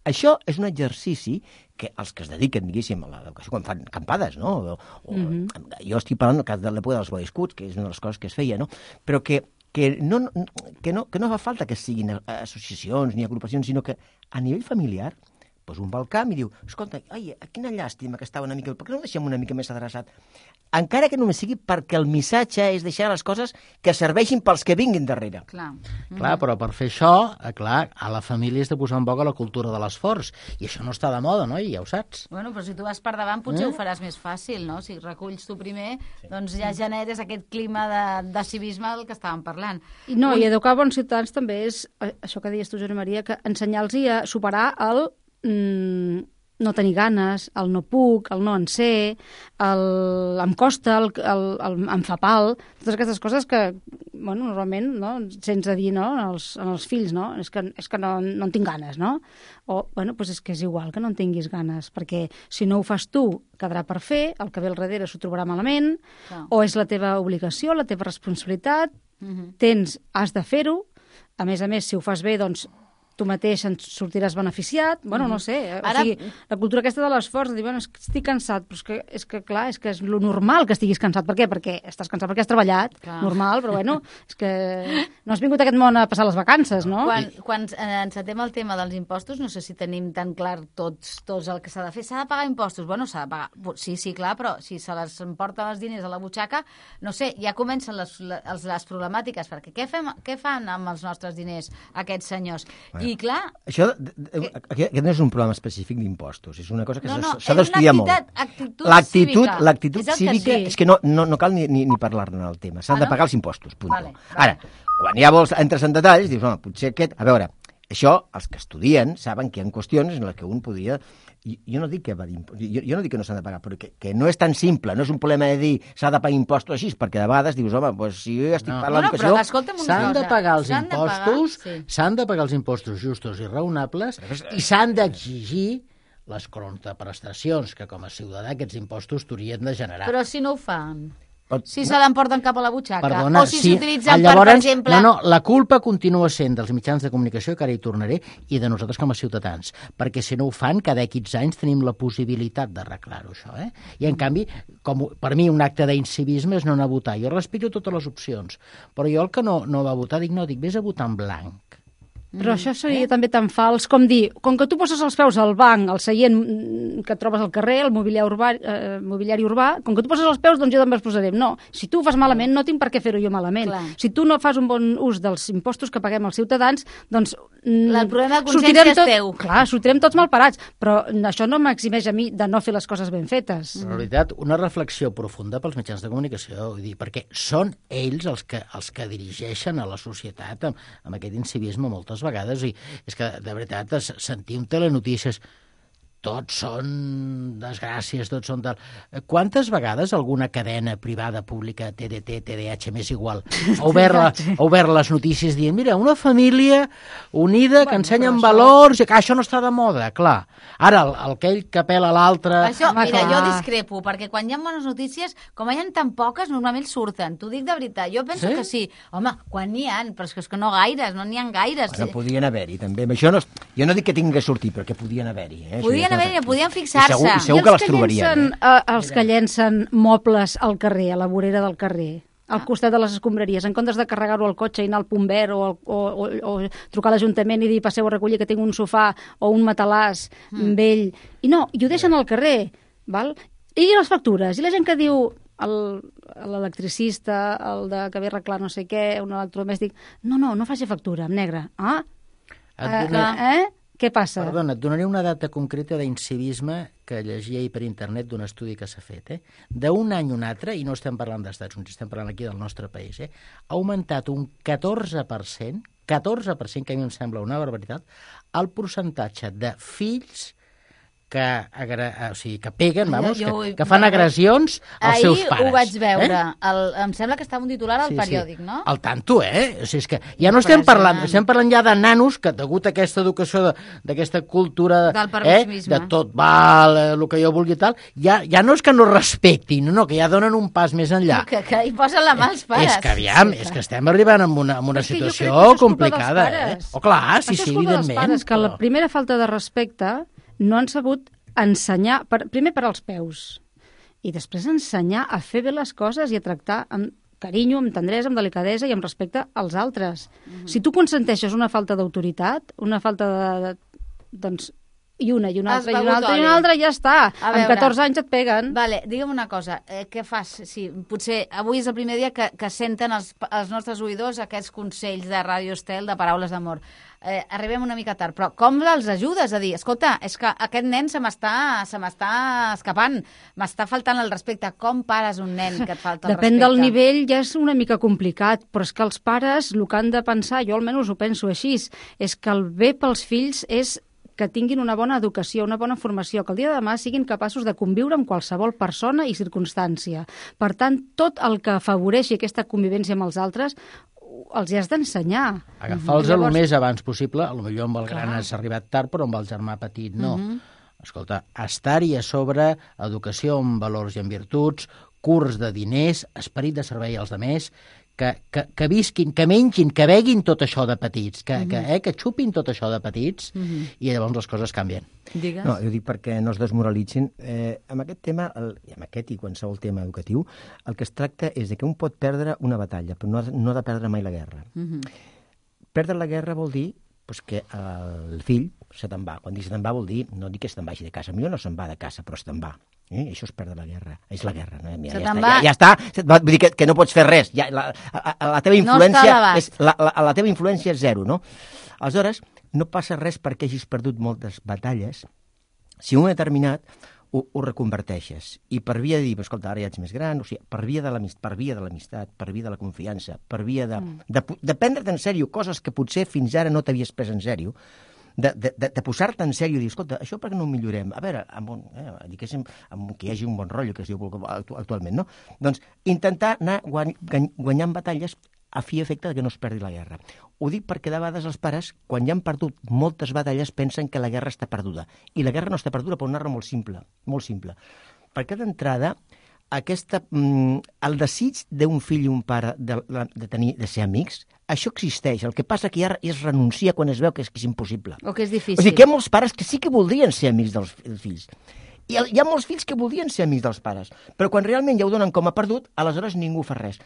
Speaker 5: Això és un exercici que els que es dediquen, diguéssim, a l'educació, quan fan acampades, no? O, o, uh-huh. Jo estic parlant de l'època dels Boy Scouts, que és una de les coses que es feia, no? Però que que no, que, no, que no fa falta que siguin associacions ni agrupacions, sinó que a nivell familiar, doncs un va al camp i diu, escolta, ai, quina llàstima que estava una mica... Per què no ho deixem una mica més adreçat? Encara que només sigui perquè el missatge és deixar les coses que serveixin pels que vinguin darrere.
Speaker 3: Clar,
Speaker 4: mm. clar però per fer això, clar, a la família has de posar en boga la cultura de l'esforç, i això no està de moda, no? I ja ho saps.
Speaker 3: Bueno, però si tu vas per davant potser eh? ho faràs més fàcil, no? Si reculls tu primer, sí. doncs ja generes aquest clima de, de civisme del que estàvem parlant.
Speaker 1: I no, Un... i educar bons ciutadans també és, això que deies tu, Josep Maria, que ensenyar-los a superar el... Mm, no tenir ganes, el no puc, el no en sé, el em costa, el, el, el em fa pal, totes aquestes coses que, bueno, normalment, no, sense dir, no, als, als fills, no, és que, és que no, no en tinc ganes, no? O, bueno, doncs és que és igual que no en tinguis ganes, perquè si no ho fas tu, quedarà per fer, el que ve al darrere s'ho trobarà malament, no. O és la teva obligació, la teva responsabilitat, uh-huh. tens, has de fer-ho, a més a més, si ho fas bé, doncs, tu mateix en sortiràs beneficiat, bueno, no sé, eh?
Speaker 3: Ara-
Speaker 1: o sigui, la cultura aquesta de l'esforç, de dir, bueno, és que estic cansat, però és que, és que clar, és que és lo normal que estiguis cansat. Per què? Perquè estàs cansat perquè has treballat,
Speaker 3: Clar.
Speaker 1: normal, però bueno, és que no has vingut a aquest món a passar les vacances, no?
Speaker 3: Quan, quan eh, encetem el tema dels impostos, no sé si tenim tan clar tots, tots el que s'ha de fer. S'ha de pagar impostos? Bueno, s'ha de pagar. Sí, sí, clar, però si se les emporten els diners a la butxaca, no sé, ja comencen les, les, les problemàtiques, perquè què, fem, què fan amb els nostres diners aquests senyors? I clar...
Speaker 5: Això, d- d- aquest no és un problema específic d'impostos, és una cosa que
Speaker 3: No,
Speaker 5: s'ha
Speaker 3: no,
Speaker 5: s'ha
Speaker 3: és
Speaker 5: d'estudiar
Speaker 3: una
Speaker 5: molt.
Speaker 3: actitud- actitud
Speaker 5: L'actitud
Speaker 3: cívica.
Speaker 5: l'actitud
Speaker 3: És el que
Speaker 5: cívica
Speaker 3: sí.
Speaker 5: és que no, no, no cal ni, ni, ni parlar-ne del tema, s'han
Speaker 3: Ah,
Speaker 5: de
Speaker 3: no?
Speaker 5: pagar els impostos, punt.
Speaker 3: Vale, vale.
Speaker 5: Ara, quan ja vols, entres en detalls, dius, home, potser aquest... A veure, això, els que estudien saben que hi ha qüestions en les que un podria... Jo, jo no dic que va d'impostos, jo, jo no dic que no s'han de pagar, però que, que no és tan simple, no és un problema de dir s'ha de pagar impostos així, perquè de vegades dius, home, doncs si jo ja estic
Speaker 4: No.
Speaker 5: per
Speaker 3: No, no,
Speaker 5: l'educació...
Speaker 3: però escolta'm una
Speaker 4: S'han de
Speaker 3: cosa.
Speaker 4: pagar els
Speaker 3: S'han de pagar,
Speaker 4: impostos,
Speaker 3: sí.
Speaker 4: s'han de pagar els impostos justos i raonables i s'han d'exigir les contraprestacions que com a ciutadà aquests impostos t'haurien de generar.
Speaker 3: Però si no ho fan...
Speaker 5: Pot-
Speaker 3: Si se l'emporten cap a la butxaca,
Speaker 4: Perdona,
Speaker 3: o si
Speaker 4: sí.
Speaker 3: s'utilitzen
Speaker 4: Llavors,
Speaker 3: per, per exemple...
Speaker 4: No, no, la culpa continua sent dels mitjans de comunicació, que ara hi tornaré, i de nosaltres com a ciutadans, perquè si no ho fan, cada X anys tenim la possibilitat d'arreglar-ho, això, eh? I, en canvi, com per mi un acte d'incivisme és no anar a votar. Jo respecto totes les opcions, però jo el que no, no va votar, dic, no, dic, vés a votar en blanc.
Speaker 1: Però això seria eh? també tan fals com dir, com que tu poses els peus al banc, al seient mm, que et trobes al carrer, el mobiliari urbà, eh, mobiliari urbà, com que tu poses els peus, doncs jo també els posaré. No, si tu ho fas malament, no tinc per què fer-ho jo malament.
Speaker 3: Clar.
Speaker 1: Si tu no fas un bon ús dels impostos que paguem els ciutadans, doncs... mm,
Speaker 3: El problema de
Speaker 1: sortirem
Speaker 3: consciència és
Speaker 1: tot,
Speaker 3: teu.
Speaker 1: Clar, sortirem tots malparats, però això no m'eximeix a mi de no fer les coses ben fetes.
Speaker 4: En realitat, una reflexió profunda pels mitjans de comunicació, vull dir, perquè són ells els que, els que dirigeixen a la societat amb, amb aquest incivisme moltes vegades, i és que, de veritat, es- sentir un telenotícies tots són desgràcies, tots són tal... Quantes vegades alguna cadena privada, pública, T D T, T D A H, m'és igual, ha obert, la, ha obert les notícies dient, mira, una família unida que
Speaker 1: Bueno,
Speaker 4: ensenya
Speaker 1: però
Speaker 4: en valors, i que això no està de moda, clar. Ara, el, el aquell que apela a l'altre...
Speaker 3: Això,
Speaker 1: Home,
Speaker 3: mira,
Speaker 1: clar.
Speaker 3: jo discrepo, perquè quan hi ha bones notícies, com hi ha tan poques, normalment surten. T'ho dic de veritat, jo penso
Speaker 4: Sí?
Speaker 3: que sí. Home, quan n'hi ha, però és que, és que no gaires, no n'hi ha gaires.
Speaker 5: Bueno, podien haver-hi, també. Això no, jo no dic que tinguin que sortir, però que podien haver-hi. Eh? Això
Speaker 3: Podien
Speaker 5: ja és
Speaker 3: haver-hi,
Speaker 5: una-
Speaker 3: podien
Speaker 5: I
Speaker 3: fixar-se.
Speaker 5: segur, i segur
Speaker 1: I
Speaker 5: que
Speaker 1: els
Speaker 5: les trobarien.
Speaker 1: llencen,
Speaker 5: Eh?
Speaker 1: eh, els que llencen mobles al carrer, a la vorera del carrer, al costat de les escombraries, en comptes de carregar-ho al cotxe i anar al punt verd o, al- o, o, o trucar a l'Ajuntament i dir passeu a recollir que tinc un sofà o un matalàs mm. vell. I no, i ho deixen al carrer, val? I les factures, i la gent que diu el- l'electricista, el de que ve a arreglar no sé què, un electrodomèstic, no, no, no faci factura, en negre. Ah,
Speaker 4: Et
Speaker 1: eh,
Speaker 4: donaré-
Speaker 1: eh? Què passa?
Speaker 4: Perdona, et donaré una data concreta d'incivisme que llegia ahir per internet d'un estudi que s'ha fet. Eh? D'un any a un altre, i no estem parlant d'Estats Units, estem parlant aquí del nostre país, eh? ha augmentat un catorze per cent, catorze per cent, que a mi em sembla una barbaritat, el percentatge de fills que, agra... o sigui, que peguen, vamos,
Speaker 3: Jo- jo ho he-
Speaker 4: que, que fan agressions als
Speaker 3: Ahir
Speaker 4: seus pares.
Speaker 3: ho vaig veure.
Speaker 4: Eh?
Speaker 3: El, em sembla que estava un titular al
Speaker 4: Sí,
Speaker 3: periòdic,
Speaker 4: sí.
Speaker 3: no?
Speaker 4: Al tanto, eh? O sigui, és que ja no estem parlant, estem parlant ja de nanos que, degut a aquesta educació, de- d'aquesta cultura...
Speaker 3: Del
Speaker 4: eh,
Speaker 3: permissivisme.
Speaker 4: de tot val, eh, el que jo vulgui i tal, ja, ja no és que no respectin, no, no, que ja donen un pas més enllà.
Speaker 3: Que, que hi posen la mà els pares.
Speaker 4: És que, aviam, és que estem arribant a una, a una
Speaker 1: És que jo crec
Speaker 4: situació
Speaker 1: que això és culpa
Speaker 4: complicada,
Speaker 1: dels
Speaker 4: eh?
Speaker 1: pares.
Speaker 4: O clar, sí,
Speaker 1: Això
Speaker 4: sí,
Speaker 1: és culpa dels
Speaker 4: evidentment.
Speaker 1: pares, que la
Speaker 4: però-
Speaker 1: primera falta de respecte no han sabut ensenyar, per, primer per als peus, i després ensenyar a fer bé les coses i a tractar amb carinyo, amb tendresa, amb delicadesa i amb respecte als altres. Mm-hmm. Si tu consenteixes una falta d'autoritat, una falta de... de doncs, i una, i una
Speaker 3: Has
Speaker 1: altra, i una
Speaker 3: begut
Speaker 1: altra, i
Speaker 3: oli.
Speaker 1: una altra, i ja està.
Speaker 3: A
Speaker 1: Amb
Speaker 3: veure.
Speaker 1: catorze anys et peguen.
Speaker 3: Vale, digue'm una cosa, eh, què fas? Sí, potser avui és el primer dia que, que senten els, els nostres oïdors aquests consells de Ràdio Estel, de paraules d'amor. Eh, arribem una mica tard, però com els ajudes a dir, escolta, és que aquest nen se m'està se m'està escapant, m'està faltant el respecte. Com pares un nen que et falta el
Speaker 1: Depèn
Speaker 3: respecte?
Speaker 1: del nivell, ja és una mica complicat, però és que els pares, el que han de pensar, jo almenys ho penso així, és que el bé pels fills és que tinguin una bona educació, una bona formació, que el dia de demà siguin capaços de conviure amb qualsevol persona i circumstància. Per tant, tot el que afavoreixi aquesta convivència amb els altres els hi has d'ensenyar.
Speaker 4: Agafar-los
Speaker 1: Llavors-
Speaker 4: el més abans possible, potser amb el gran
Speaker 1: Clar.
Speaker 4: has arribat tard, però amb el germà petit no.
Speaker 3: Mhm.
Speaker 4: Escolta, estar-hi a sobre, educació amb valors i amb virtuts, curs de diners, esperit de servei als demés, que, que, que visquin, que mengin, que beguin tot això de petits, que, mm-hmm. que, eh, que xupin tot això de petits, mm-hmm. i llavors les coses canvien.
Speaker 3: Digues.
Speaker 5: No, jo dic perquè no es desmoralitzin. Eh, amb aquest tema, el, i amb aquest i qualsevol tema educatiu, el que es tracta és de que un pot perdre una batalla, però no ha, no ha de perdre mai la guerra. Mm-hmm. Perdre la guerra vol dir pues, que el fill se te'n va. Quan dic se te'n va vol dir, no dic que se te'n vagi de casa, millor no se'n va de casa, però se te'n va. Eh? Això és perdre la guerra. És la guerra. No? Ja,
Speaker 3: se
Speaker 5: ja,
Speaker 3: te'n
Speaker 5: està,
Speaker 3: va...
Speaker 5: ja, ja està. Vull dir que, que no pots fer res. Ja, la, la, la, teva influència
Speaker 3: no
Speaker 5: és, la, la, la teva influència és zero, no? Aleshores, no passa res perquè hagis perdut moltes batalles. Si un determinat ho, ho reconverteixes. I per via de dir, escolta, ara ja ets més gran, o sigui, per via de l'amistat, per via de l'amistat, per via de la confiança, per via de, mm. de, de prendre't en sèrio coses que potser fins ara no t'havies pres en sèrio, de, de, de, de posar-te en sèrio i dir, escolta, això per què no ho millorem? A veure, amb un, eh, diguéssim, amb que hi hagi un bon rotllo, que es diu actualment, no? Doncs intentar anar guanyant batalles a fi i efecte que no es perdi la guerra. Ho dic perquè de vegades els pares, quan ja han perdut moltes batalles, pensen que la guerra està perduda. I la guerra no està perduda per una raó molt simple, molt simple. Perquè d'entrada, aquesta, mm, el desig d'un fill i un pare de, de, tenir, de ser amics, això existeix. El que passa que ja es renuncia quan es veu que és, que és impossible.
Speaker 3: O que és difícil.
Speaker 5: O sigui, que hi ha molts pares que sí que voldrien ser amics dels, dels fills. I hi ha molts fills que voldrien ser amics dels pares. Però quan realment ja ho donen com a perdut, aleshores ningú fa res.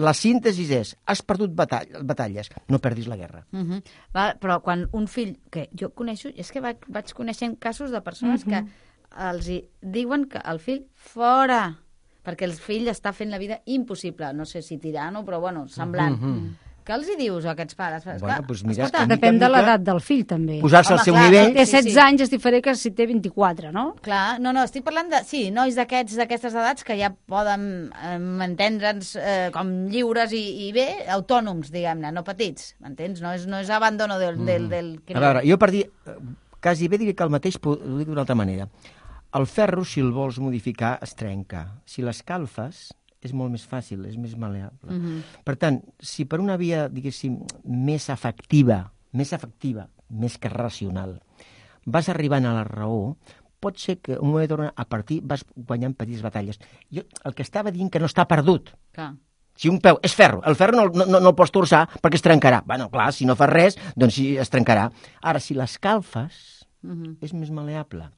Speaker 5: La síntesi és, has perdut batall, batalles, no perdis la guerra.
Speaker 3: Uh -huh. Va, però quan un fill, que jo coneixo, és que vaig, vaig coneixent casos de persones uh -huh. que els hi diuen que el fill fora, perquè el fill està fent la vida impossible, no sé si tirano, però bueno, semblant. Uh -huh. Què els hi dius a aquests pares?
Speaker 5: Bueno,
Speaker 3: Esclar,
Speaker 5: doncs mira,
Speaker 3: escolta,
Speaker 1: depèn de l'edat del fill, també.
Speaker 5: Posar-se al seu
Speaker 3: clar,
Speaker 5: nivell...
Speaker 1: Té
Speaker 3: Sí,
Speaker 1: setze
Speaker 3: sí.
Speaker 1: anys, és diferent que si té vint-i-quatre, no?
Speaker 3: clar, no, no, estic parlant de, sí, nois d'aquests d'aquestes edats que ja poden eh, entendre'ns eh, com lliures i, i bé, autònoms, diguem-ne, no petits, m'entens? No és, no és abandono del, mm. del, del
Speaker 5: A veure, jo per dir, quasi bé diria que el mateix, ho dic d'una altra manera. El ferro, si el vols modificar, es trenca. Si l'escalfes, és molt més fàcil, és més maleable. Uh-huh. Per tant, si per una via, diguéssim, més afectiva, més afectiva, més que racional, vas arribant a la raó, pot ser que un moment donat, a partir vas guanyant petites batalles. Jo el que estava dient que no està perdut.
Speaker 3: Clar.
Speaker 5: Si un peu és ferro, el ferro no, no, no el pots torçar perquè es trencarà. Bueno, clar, si no fas res, doncs sí, es trencarà. Ara, si l'escalfes, uh-huh. és més maleable.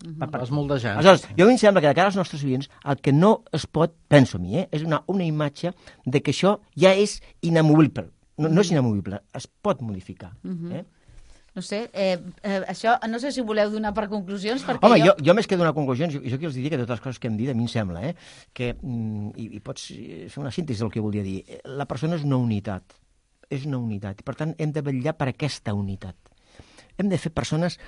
Speaker 4: Uh-huh. Vas moldejar.
Speaker 5: Aleshores, jo a mi em sembla que de cara als nostres oients el que no es pot, penso a mi, eh, és una, una imatge de que això ja és inamovible. No, no és inamovible, es pot modificar. Uh-huh. eh?
Speaker 3: No sé, eh, eh, això, no sé si voleu donar per conclusions, perquè
Speaker 5: Home, jo,
Speaker 3: jo...
Speaker 5: jo més que donar conclusions, jo, jo aquí els diria que totes les coses que hem dit, a mi em sembla, eh, que, mm, i, i pots fer una síntesi del que volia dir, la persona és una unitat, és una unitat, i per tant hem de vetllar per aquesta unitat. Hem de fer persones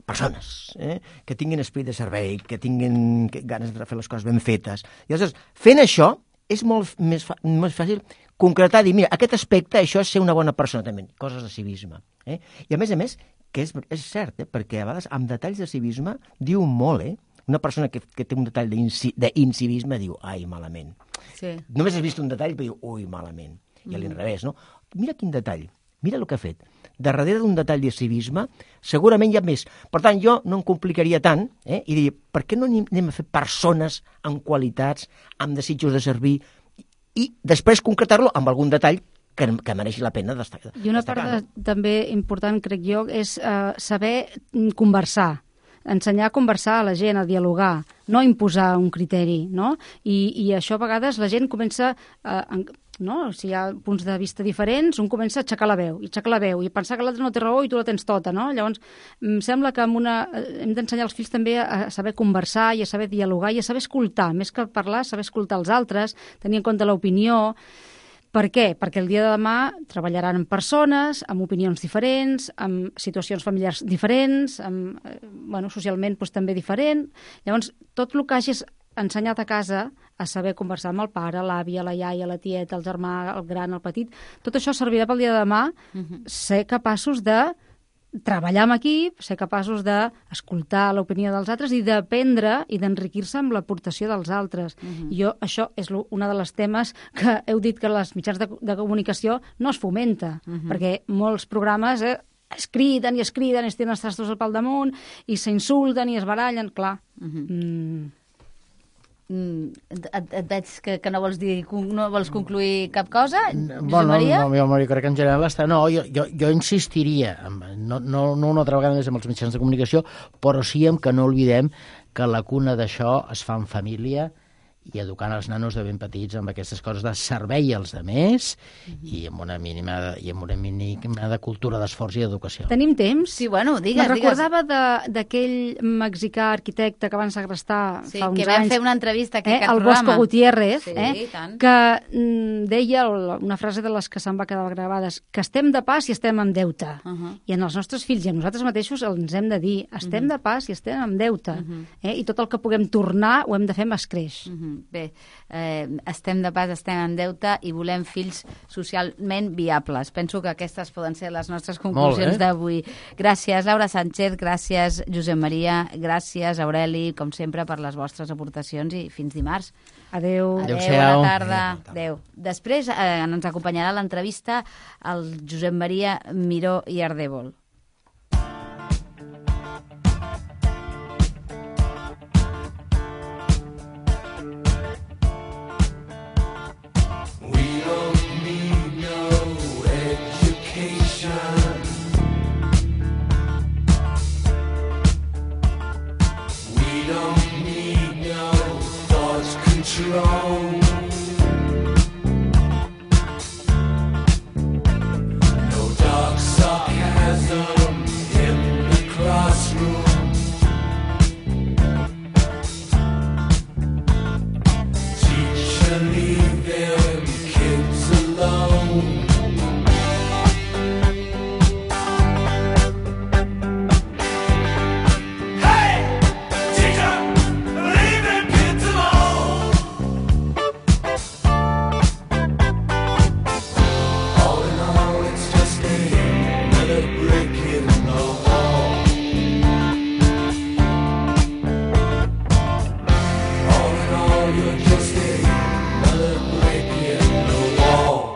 Speaker 5: persones, eh? que tinguin esperit de servei, que tinguin ganes de fer les coses ben fetes. I llavors, fent això, és molt més, fa, més fàcil concretar, dir, mira, aquest aspecte, això és ser una bona persona, també, coses de civisme. Eh? I a més a més, que és, és cert, eh? perquè a vegades amb detalls de civisme diu molt, eh? Una persona que, que té un detall d'incivisme diu, ai, malament.
Speaker 3: Sí.
Speaker 5: Només has vist un detall i diu, ui, malament. I a l'inrevés, no? Mira quin detall, mira el que ha fet. Darrere d'un detall de civisme, segurament hi ha més. Per tant, jo no em complicaria tant, eh? i diria, per què no anem a fer persones amb qualitats, amb desitjos de servir, i després concretar-lo amb algun detall que, que mereixi la pena destacar.
Speaker 1: I una part de, també important, crec jo, és uh, saber conversar, ensenyar a conversar a la gent, a dialogar, no imposar un criteri, no? I, i això a vegades la gent comença... Uh, no? Si hi ha punts de vista diferents, un comença a aixecar la veu, i aixecar la veu, i pensar que l'altre no té raó i tu la tens tota, no? Llavors, em sembla que amb una, hem d'ensenyar els fills també a saber conversar i a saber dialogar i a saber escoltar, més que parlar, saber escoltar els altres, tenir en compte l'opinió. Per què? Perquè el dia de demà treballaran amb persones, amb opinions diferents, amb situacions familiars diferents, amb, bueno, socialment doncs, també diferent. Llavors, tot el que hagis ensenyat a casa a saber conversar amb el pare, l'àvia, la iaia, la tieta, el germà, el gran, el petit, tot això servirà pel dia de demà uh-huh. ser capaços de treballar en equip, ser capaços d'escoltar l'opinió dels altres i d'aprendre i d'enriquir-se amb l'aportació dels altres. Uh-huh. Jo, això és una de les temes que heu dit que les mitjans de, de comunicació no es fomenta, uh-huh. perquè molts programes eh, es criden i es criden, es tenen els trastos al pal damunt i s'insulten i es barallen, clar. Uh-huh. Mm.
Speaker 3: et, et veig que, que no vols dir, no vols concluir cap cosa, Josep
Speaker 4: Bueno,
Speaker 3: Maria?
Speaker 4: no, jo, jo crec que en general està... No, jo, jo, jo insistiria, en- no, no, no una altra vegada més amb els mitjans de comunicació, però sí en que no oblidem que la cuna d'això es fa en família i educant els nanos de ben petits amb aquestes coses de servei als demés i amb una mínima de, i amb una mínima de cultura d'esforç i d'educació.
Speaker 1: Tenim temps?
Speaker 3: Sí, bueno, digues,
Speaker 1: Me'n
Speaker 3: digues.
Speaker 1: recordava de- d'aquell mexicà arquitecte que van segrestar
Speaker 3: Sí,
Speaker 1: fa uns
Speaker 3: que vam
Speaker 1: anys.
Speaker 3: fer una entrevista aquí
Speaker 1: eh,
Speaker 3: a aquest
Speaker 1: el
Speaker 3: programa.
Speaker 1: Bosco Gutiérrez,
Speaker 3: Sí,
Speaker 1: eh,
Speaker 3: tant.
Speaker 1: que mm, deia el- una frase de les que se'n va quedar gravades, que estem de pas i estem en deute.
Speaker 3: Uh -huh.
Speaker 1: I en els nostres fills i a nosaltres mateixos ens hem de dir, estem
Speaker 3: Mhm.
Speaker 1: de pas i estem en deute. eh, I tot el que puguem tornar ho hem de fer amb escreix.
Speaker 3: Mhm. Bé, eh, estem de pas, estem en deute i volem fills socialment viables. Penso que aquestes poden ser les nostres conclusions
Speaker 4: bé.
Speaker 3: d'avui. Gràcies, Laura Sánchez, gràcies, Josep Maria, gràcies, Aureli, com sempre, per les vostres aportacions i fins dimarts.
Speaker 1: Adéu.
Speaker 3: Adéu,
Speaker 4: Adéu-siau.
Speaker 3: bona tarda. Adéu. Després eh, ens acompanyarà l'entrevista el Josep Maria Miró i Ardèvol.
Speaker 6: We don't need no education. We don't need no thought control. No dark sarcasm in the classroom. Teacher, leave them kids alone. Hey, teacher, leave them kids alone. All in all, it's just another brick in the wall. All in all, you're just another brick in the wall.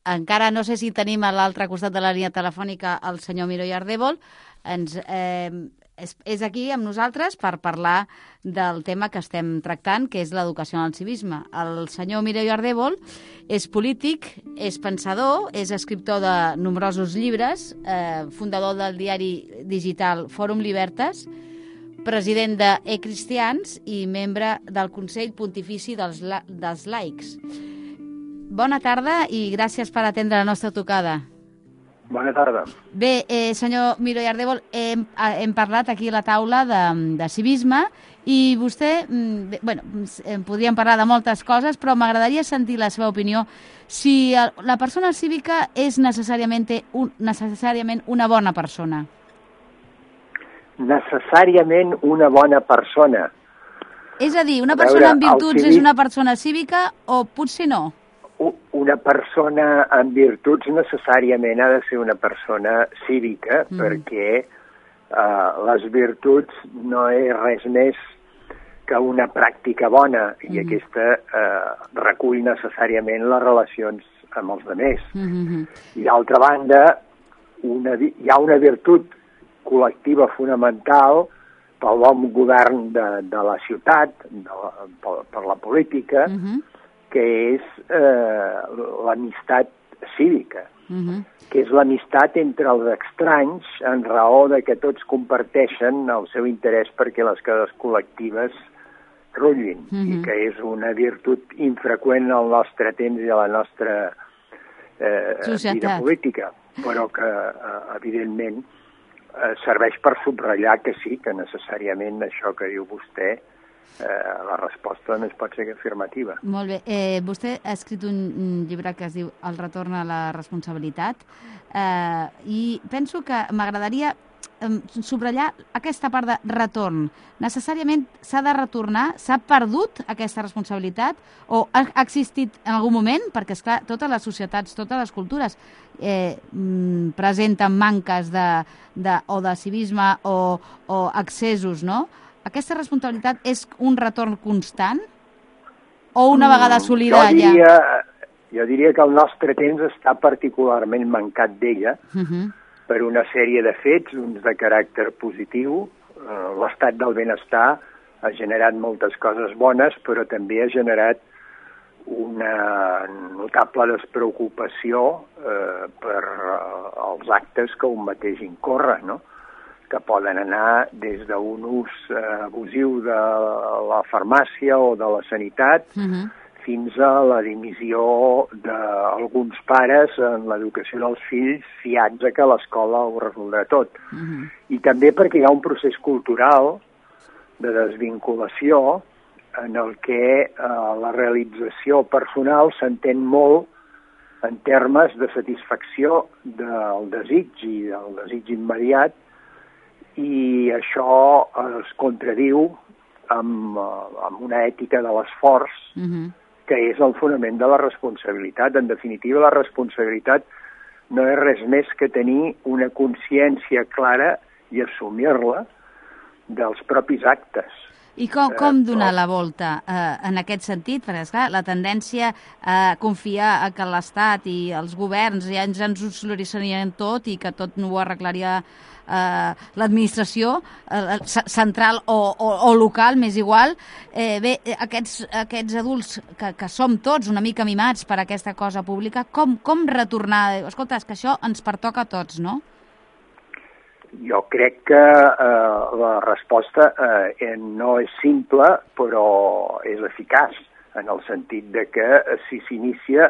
Speaker 3: Encara no sé si tenim a l'altre costat de la línia telefònica el senyor Miró i Ardèvol. Ens, eh, és, és aquí amb nosaltres per parlar del tema que estem tractant, que és l'educació en el civisme. El senyor Mireia Ardèvol és polític, és pensador, és escriptor de nombrosos llibres, eh, fundador del diari digital Fòrum Libertas, president de E-Cristians i membre del Consell Pontifici dels, la, dels Laics. Bona tarda i gràcies per atendre la nostra trucada.
Speaker 7: Bona tarda.
Speaker 3: Bé, eh, senyor Mireia Ardèvol, hem, hem parlat aquí a la taula de, de civisme i vostè, bé, bueno, podríem parlar de moltes coses, però m'agradaria sentir la seva opinió si la persona cívica és necessàriament, un, necessàriament una bona persona.
Speaker 7: Necessàriament una bona persona.
Speaker 3: És a dir, una persona amb virtuts civi... és una persona cívica o potser no?
Speaker 7: Una persona amb virtuts necessàriament ha de ser una persona cívica, mm. perquè uh, les virtuts no és res més que una pràctica bona, mm. i aquesta uh, recull necessàriament les relacions amb els altres. Mm-hmm. I d'altra banda, una, hi ha una virtut col·lectiva fonamental pel bon govern de, de la ciutat, de la, per, per la política, mm-hmm. que és eh, l'amistat cívica, uh-huh. que és l'amistat entre els estranys en raó de que tots comparteixen el seu interès perquè les coses col·lectives rutllin, uh-huh. i que és una virtut infreqüent al nostre temps i a la nostra eh, vida política, però que, eh, evidentment, eh, serveix per subratllar que sí, que necessàriament això que diu vostè, Eh, la resposta només pot ser afirmativa.
Speaker 3: Molt bé. Eh, vostè ha escrit un, un llibre que es diu El retorn a la responsabilitat eh, i penso que m'agradaria eh, subratllar aquesta part de retorn. Necessàriament s'ha de retornar? S'ha perdut aquesta responsabilitat? O ha existit en algun moment? Perquè, esclar, totes les societats, totes les cultures eh, presenten manques de, de, o de civisme o, o excessos, no? Aquesta responsabilitat és un retorn constant o una vegada assolida
Speaker 7: jo diria, ja? Jo diria que el nostre temps està particularment mancat d'ella uh-huh. per una sèrie de fets, uns de caràcter positiu. L'estat del benestar ha generat moltes coses bones, però també ha generat una notable despreocupació eh, per els actes que un mateix incorre, no? Que poden anar des d'un ús eh, abusiu de la farmàcia o de la sanitat uh-huh. fins a la dimissió d'alguns pares en l'educació dels fills fiats a que l'escola ho resoldrà tot. Uh-huh. I també perquè hi ha un procés cultural de desvinculació en el que eh, la realització personal s'entén molt en termes de satisfacció del desig i del desig immediat, i això es contradiu amb, amb una ètica de l'esforç, uh-huh. que és el fonament de la responsabilitat. En definitiva, la responsabilitat no és res més que tenir una consciència clara i assumir-la dels propis actes.
Speaker 3: I com, com donar la volta eh, en aquest sentit? Perquè, esclar, la tendència a confiar a que l'Estat i els governs ja ens, ens ho solucionarien tot i que tot no ho arreglaria eh, l'administració eh, central o, o, o local, m'és igual. Eh, bé, aquests, aquests adults que, que som tots una mica mimats per aquesta cosa pública, com, com retornar? Escolta, és que això ens pertoca a tots, no?
Speaker 7: Jo crec que eh, la resposta eh, no és simple, però és eficaç, en el sentit de que si s'inicia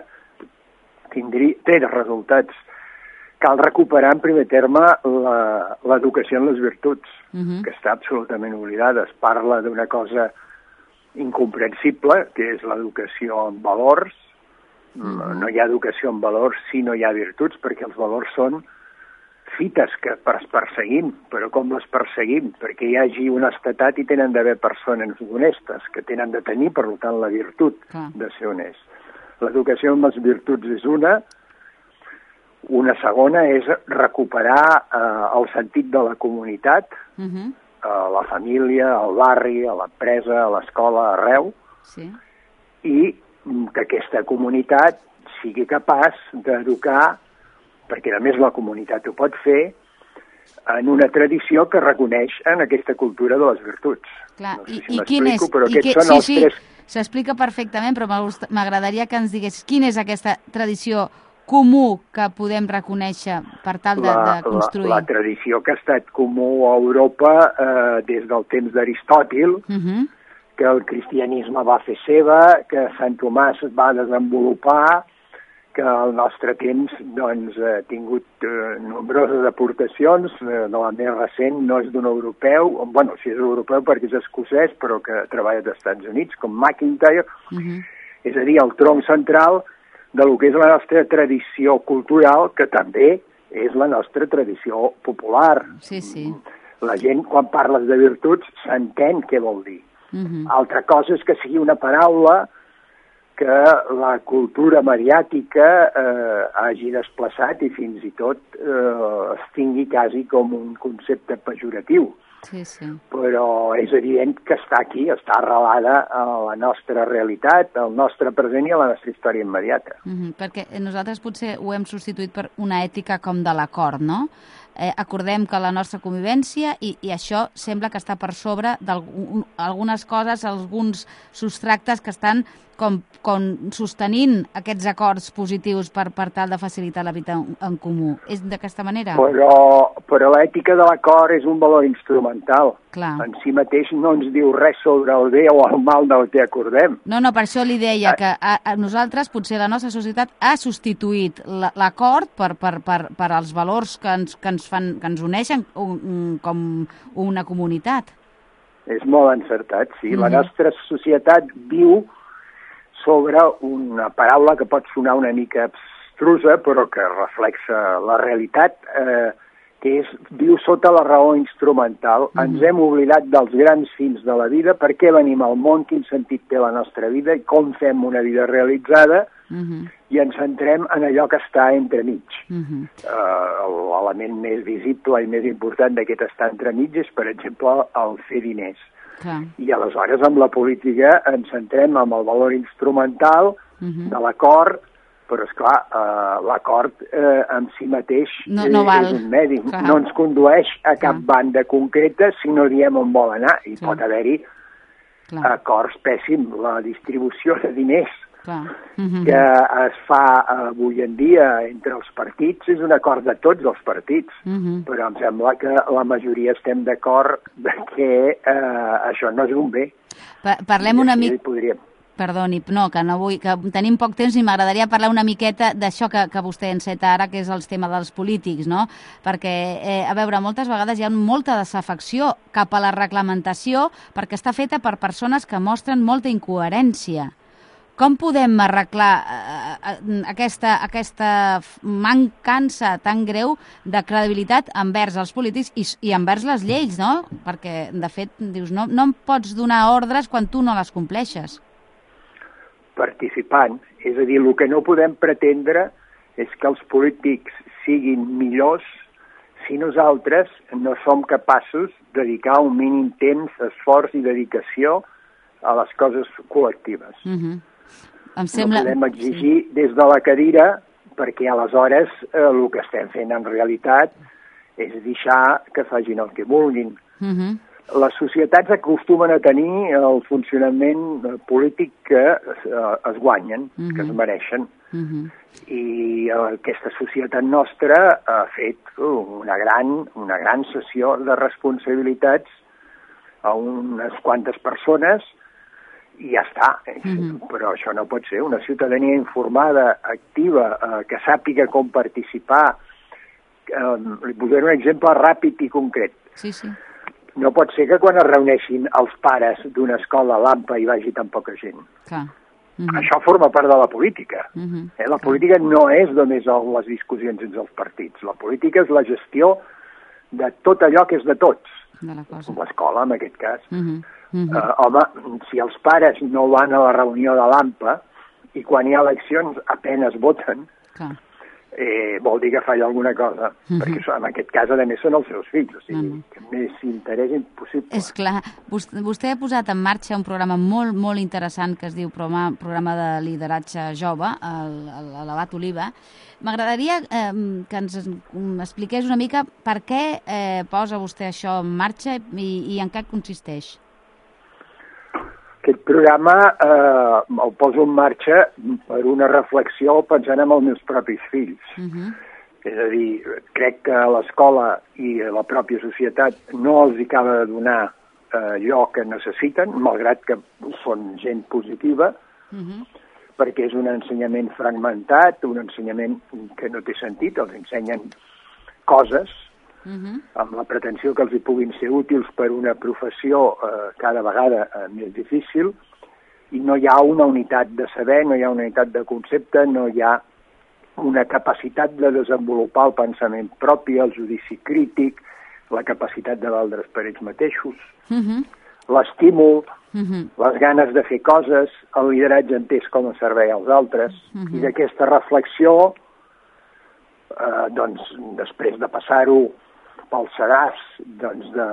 Speaker 7: tindria, té resultats. Cal recuperar en primer terme l'educació en les virtuts, uh-huh. que està absolutament oblidada. Es parla d'una cosa incomprensible, que és l'educació en valors. Uh-huh. No hi ha educació en valors si no hi ha virtuts, perquè els valors són fites que perseguim, però com les perseguim? Perquè hi hagi una estatat i tenen d'haver persones honestes, que tenen de tenir, per tant, la virtut ah. de ser honest. L'educació amb les virtuts és una. Una segona és recuperar eh, el sentit de la comunitat, uh-huh. a la família, al barri, a l'empresa, a l'escola, arreu, sí. i que aquesta comunitat sigui capaç d'educar, perquè només la comunitat ho pot fer, en una tradició que reconeix en aquesta cultura de les virtuts.
Speaker 3: Clar,
Speaker 7: no sé
Speaker 3: i,
Speaker 7: si
Speaker 3: i quin és?
Speaker 7: però
Speaker 3: I
Speaker 7: aquests
Speaker 3: que,
Speaker 7: són
Speaker 3: sí,
Speaker 7: els
Speaker 3: sí,
Speaker 7: tres...
Speaker 3: s'explica perfectament, però m'agradaria que ens digués quina és aquesta tradició comú que podem reconèixer per tal de,
Speaker 7: la,
Speaker 3: de construir.
Speaker 7: La, la tradició que ha estat comú a Europa eh, des del temps d'Aristòtil, uh -huh. que el cristianisme va fer seva, que Sant Tomàs va desenvolupar, que al nostre temps doncs, ha tingut eh, nombroses aportacions. Eh, de la més recent no és d'un europeu, bueno, sí és europeu perquè és escocès, però que treballa als Estats Units, com McIntyre. Uh -huh. És a dir, el tronc central de lo que és la nostra tradició cultural, que també és la nostra tradició popular.
Speaker 3: Sí, sí.
Speaker 7: La gent, quan parles de virtuts, s'entén què vol dir. Uh -huh. Altra cosa és que sigui una paraula que la cultura mediàtica eh, hagi desplaçat i fins i tot eh, es tingui quasi com un concepte pejoratiu.
Speaker 3: Sí, sí.
Speaker 7: Però és evident que està aquí, està arrelada a la nostra realitat, al nostre present i a la nostra història immediata.
Speaker 3: Mm-hmm, perquè nosaltres potser ho hem substituït per una ètica com de l'acord, no? Eh, acordem que la nostra convivència i, i això sembla que està per sobre d'algunes coses, alguns substractes que estan com, com sostenint aquests acords positius per, per tal de facilitar la vida en, en comú. És d'aquesta manera?
Speaker 7: Però, però l'ètica de l'acord és un valor instrumental.
Speaker 3: Clar.
Speaker 7: En si mateix no ens diu res sobre el bé o el mal del que acordem.
Speaker 3: No, no, per això li deia que a, a nosaltres, potser la nostra societat ha substituït l'acord per, per, per, per als valors que ens, que ens, fan, que ens uneixen un, com una comunitat.
Speaker 7: És molt encertat, sí. Mm-hmm. La nostra societat viu sobre una paraula que pot sonar una mica abstrusa, però que reflexa la realitat, eh, que és, viu sota la raó instrumental. Mm-hmm. Ens hem oblidat dels grans fins de la vida, per què venim al món, quin sentit té la nostra vida i com fem una vida realitzada, mm-hmm. i ens centrem en allò que està entremig. Mm-hmm. Uh, l'element més visible i més important d'aquest estar entremig és, per exemple, el fer diners.
Speaker 3: Clar.
Speaker 7: I aleshores amb la política ens centrem en el valor instrumental uh-huh. de l'acord, però esclar, uh, l'acord uh, en si mateix
Speaker 3: no, no val.
Speaker 7: és un medi.
Speaker 3: Clar.
Speaker 7: No ens condueix a cap
Speaker 3: Clar.
Speaker 7: banda concreta si no diem on vol anar. I
Speaker 3: Clar.
Speaker 7: pot haver-hi
Speaker 3: Clar.
Speaker 7: acords pèssims. La distribució de diners
Speaker 3: uh-huh.
Speaker 7: que es fa avui en dia entre els partits és un acord de tots els partits, uh-huh. però em sembla que la majoria estem d'acord que eh, això no és un bé.
Speaker 3: Pa parlem una mica...
Speaker 7: Podríem...
Speaker 3: Perdoni, no, que no vull, que tenim poc temps i m'agradaria parlar una miqueta d'això que, que vostè enceta ara, que és el tema dels polítics, no? Perquè, eh, a veure, moltes vegades hi ha molta desafecció cap a la reglamentació perquè està feta per persones que mostren molta incoherència. Com podem arreglar eh, aquesta, aquesta mancança tan greu de credibilitat envers els polítics i, i envers les lleis, no? Perquè, de fet, dius, no, no em pots donar ordres quan tu no les compleixes.
Speaker 7: Participant. És a dir, el que no podem pretendre és que els polítics siguin millors si nosaltres no som capaços de dedicar un mínim temps, esforç i dedicació a les coses col·lectives.
Speaker 3: Uh-huh. Em sembla...
Speaker 7: No podem exigir des de la cadira, perquè aleshores eh, el que estem fent en realitat és deixar que facin el que vulguin. Uh-huh. Les societats acostumen a tenir el funcionament polític que eh, es guanyen, uh-huh. que es mereixen. Uh-huh. I aquesta societat nostra ha fet una gran, una gran sessió de responsabilitats a unes quantes persones i ja està. Mm-hmm. Però això no pot ser. Una ciutadania informada, activa, eh, que sàpiga com participar. Eh, li posaré un exemple ràpid i concret.
Speaker 3: Sí, sí.
Speaker 7: No pot ser que quan es reuneixin els pares d'una escola a l'AMPA hi vagi tan poca gent.
Speaker 3: Clar. Mm-hmm.
Speaker 7: Això forma part de la política.
Speaker 3: Mm-hmm.
Speaker 7: eh? La política no és només les discussions entre els partits. La política és la gestió de tot allò que és de tots.
Speaker 3: De la cosa.
Speaker 7: L'escola, en aquest cas.
Speaker 3: Mm-hmm. Mm-hmm.
Speaker 7: Uh, home, si els pares no van a la reunió de l'AMPA i quan hi ha eleccions apenes voten,
Speaker 3: Clar.
Speaker 7: eh, vol dir que falla alguna cosa,
Speaker 3: Mhm.
Speaker 7: perquè això, en aquest cas, a més, són els seus fills, o sigui,
Speaker 3: No, no.
Speaker 7: que més interès impossible.
Speaker 3: És clar. Vostè, vostè ha posat en marxa un programa molt, molt interessant que es diu Programa, programa de Lideratge Jove, el, el, a l'Abat Oliva. M'agradaria eh, que ens expliqués una mica per què eh, posa vostè això en marxa i, i en què consisteix.
Speaker 7: Aquest programa eh, el poso en marxa per una reflexió pensant en els meus propis fills.
Speaker 3: Uh -huh.
Speaker 7: És a dir, crec que l'escola i la pròpia societat no els hi acaba de donar eh, allò que necessiten, malgrat que són gent positiva,
Speaker 3: Uh -huh.
Speaker 7: perquè és un ensenyament fragmentat, un ensenyament que no té sentit, els ensenyen coses
Speaker 3: Uh -huh.
Speaker 7: amb la pretensió que els hi puguin ser útils per una professió eh, cada vegada eh, més difícil, i no hi ha una unitat de saber, no hi ha una unitat de concepte, no hi ha una capacitat de desenvolupar el pensament propi, el judici crític, la capacitat de valdre's per ells mateixos,
Speaker 3: Uh -huh.
Speaker 7: l'estímul,
Speaker 3: Uh -huh.
Speaker 7: les ganes de fer coses, el lideratge entès com a servei als altres,
Speaker 3: Uh -huh.
Speaker 7: i d'aquesta reflexió, eh, doncs, després de passar-ho pel sedàs doncs, de,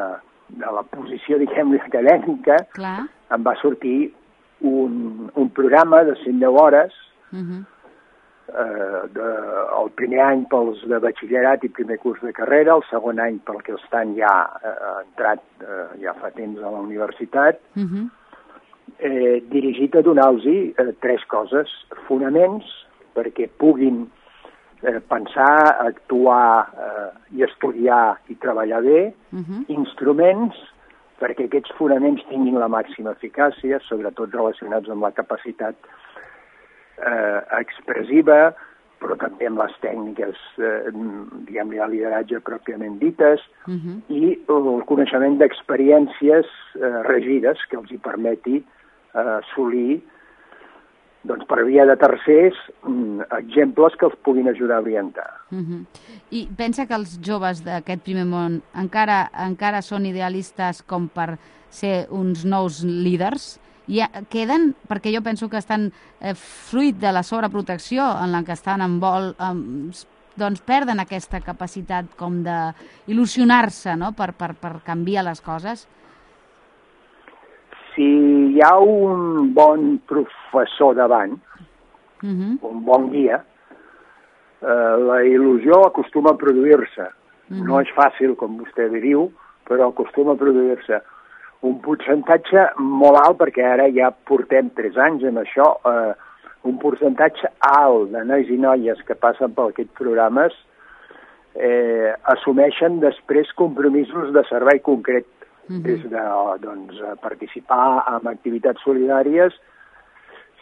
Speaker 7: de la posició, diguem-ne, acadèmica,
Speaker 3: Clar.
Speaker 7: em va sortir un, un programa de cent deu hores,
Speaker 3: Uh -huh.
Speaker 7: eh, de, el primer any pels de batxillerat i primer curs de carrera, el segon any pel que estan ja eh, entrat eh, ja fa temps a la universitat,
Speaker 3: Uh -huh.
Speaker 7: eh, dirigit a donar-los eh, tres coses: fonaments, perquè puguin eh, pensar, actuar eh, i estudiar i treballar bé,
Speaker 3: Uh -huh.
Speaker 7: instruments, perquè aquests fonaments tinguin la màxima eficàcia, sobretot relacionats amb la capacitat eh, expressiva, però també amb les tècniques, eh, diguem-ne, de lideratge pròpiament dites,
Speaker 3: Uh -huh.
Speaker 7: i el coneixement d'experiències eh, regides que els hi permeti eh, assolir, doncs, per via de tercers, mm, exemples que els puguin ajudar a orientar.
Speaker 3: Uh -huh. I pensa que els joves d'aquest primer món encara encara són idealistes com per ser uns nous líders? I queden, perquè jo penso que estan eh, fruit de la sobreprotecció en la que estan en vol, eh, doncs perden aquesta capacitat com d'il·lusionar-se, no?, per, per, per canviar les coses.
Speaker 7: Si hi ha un bon professor davant,
Speaker 3: Uh -huh.
Speaker 7: un bon guia, eh, la il·lusió acostuma a produir-se.
Speaker 3: Uh -huh.
Speaker 7: No és fàcil, com vostè diu, però acostuma a produir-se. Un percentatge molt alt, perquè ara ja portem tres anys en això, eh, un percentatge alt de nois i noies que passen per aquests programes eh, assumeixen després compromisos de servei concret,
Speaker 3: uh -huh.
Speaker 7: des de doncs, participar en activitats solidàries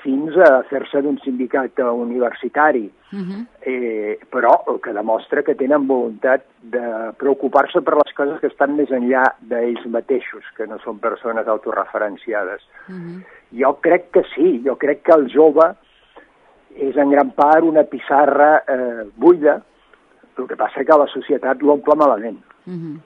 Speaker 7: fins a fer-se d'un sindicat universitari,
Speaker 3: Uh -huh.
Speaker 7: eh, però el que demostra que tenen voluntat de preocupar-se per les coses que estan més enllà d'ells mateixos, que no són persones autoreferenciades.
Speaker 3: Uh -huh.
Speaker 7: Jo crec que sí, jo crec que el jove és en gran part una pissarra eh, buida, el que passa que la societat l'omple malament.
Speaker 3: Uh -huh.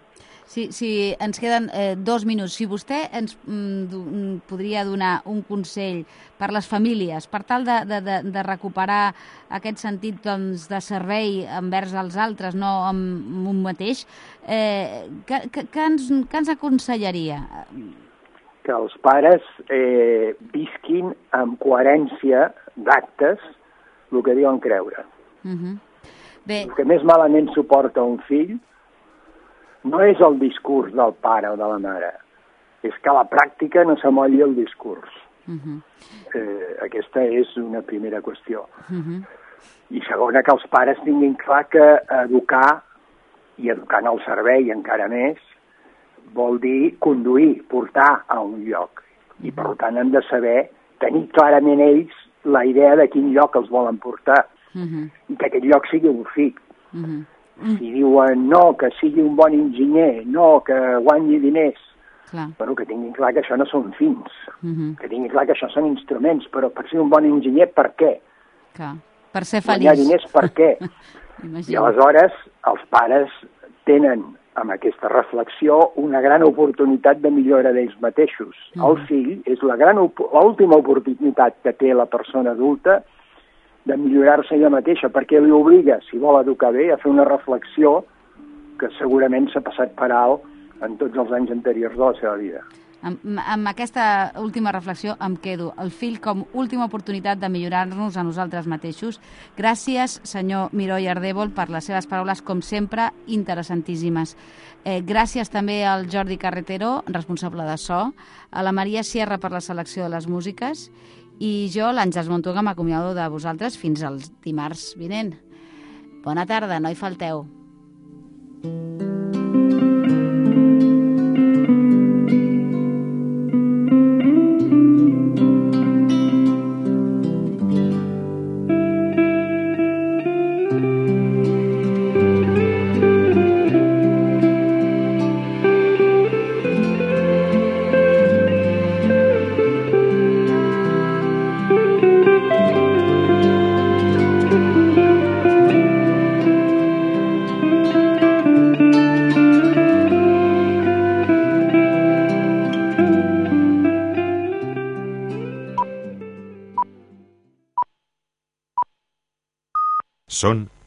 Speaker 3: Sí, sí, ens queden eh, dos minuts. Si vostè ens mm, do, mm, podria donar un consell per les famílies, per tal de, de, de, de recuperar aquest sentit, doncs, de servei envers els altres, no amb un mateix, eh, que, que, que, ens, que ens aconsellaria?
Speaker 7: Que els pares eh, visquin amb coherència d'actes el que diuen creure.
Speaker 3: Uh -huh. Bé,
Speaker 7: El que més malament suporta un fill no és el discurs del pare o de la mare, és que a la pràctica no s'amolli el discurs.
Speaker 3: uh -huh.
Speaker 7: Eh, aquesta és una primera qüestió.
Speaker 3: Uh -huh.
Speaker 7: I segona, que els pares tinguin clar que educar, i educar en el servei encara més, vol dir conduir, portar a un lloc. I per tant han de saber tenir clarament ells la idea de quin lloc els volen portar.
Speaker 3: Uh -huh.
Speaker 7: I que aquest lloc sigui un fi.
Speaker 3: Uh -huh.
Speaker 7: Si diuen no, que sigui un bon enginyer, no, que guanyi diners,
Speaker 3: Clar.
Speaker 7: bueno, que tinguin clar que això no són fins,
Speaker 3: Uh -huh.
Speaker 7: que tinguin clar que això són instruments, però per ser un bon enginyer, per què?
Speaker 3: Clar. Per ser
Speaker 7: Guanyar
Speaker 3: feliç.
Speaker 7: diners, per què? I
Speaker 3: Imagina.
Speaker 7: aleshores els pares tenen, amb aquesta reflexió, una gran oportunitat de millora d'ells mateixos.
Speaker 3: Mm.
Speaker 7: El fill és la gran op- l'última oportunitat que té la persona adulta de millorar-se ella mateixa, perquè li obliga, si vol educar bé, a fer una reflexió que segurament s'ha passat per alt en tots els anys anteriors de la seva vida.
Speaker 3: Amb, amb aquesta última reflexió em quedo. El fill com última oportunitat de millorar-nos a nosaltres mateixos. Gràcies, senyor Miró i Ardèvol, per les seves paraules, com sempre, interessantíssimes. Eh, gràcies també al Jordi Carretero, responsable de so, a la Maria Sierra per la selecció de les músiques, i jo, l'Àngels Montoga, m'acomiado de vosaltres fins al dimarts vinent. Bona tarda, no hi falteu.
Speaker 8: Son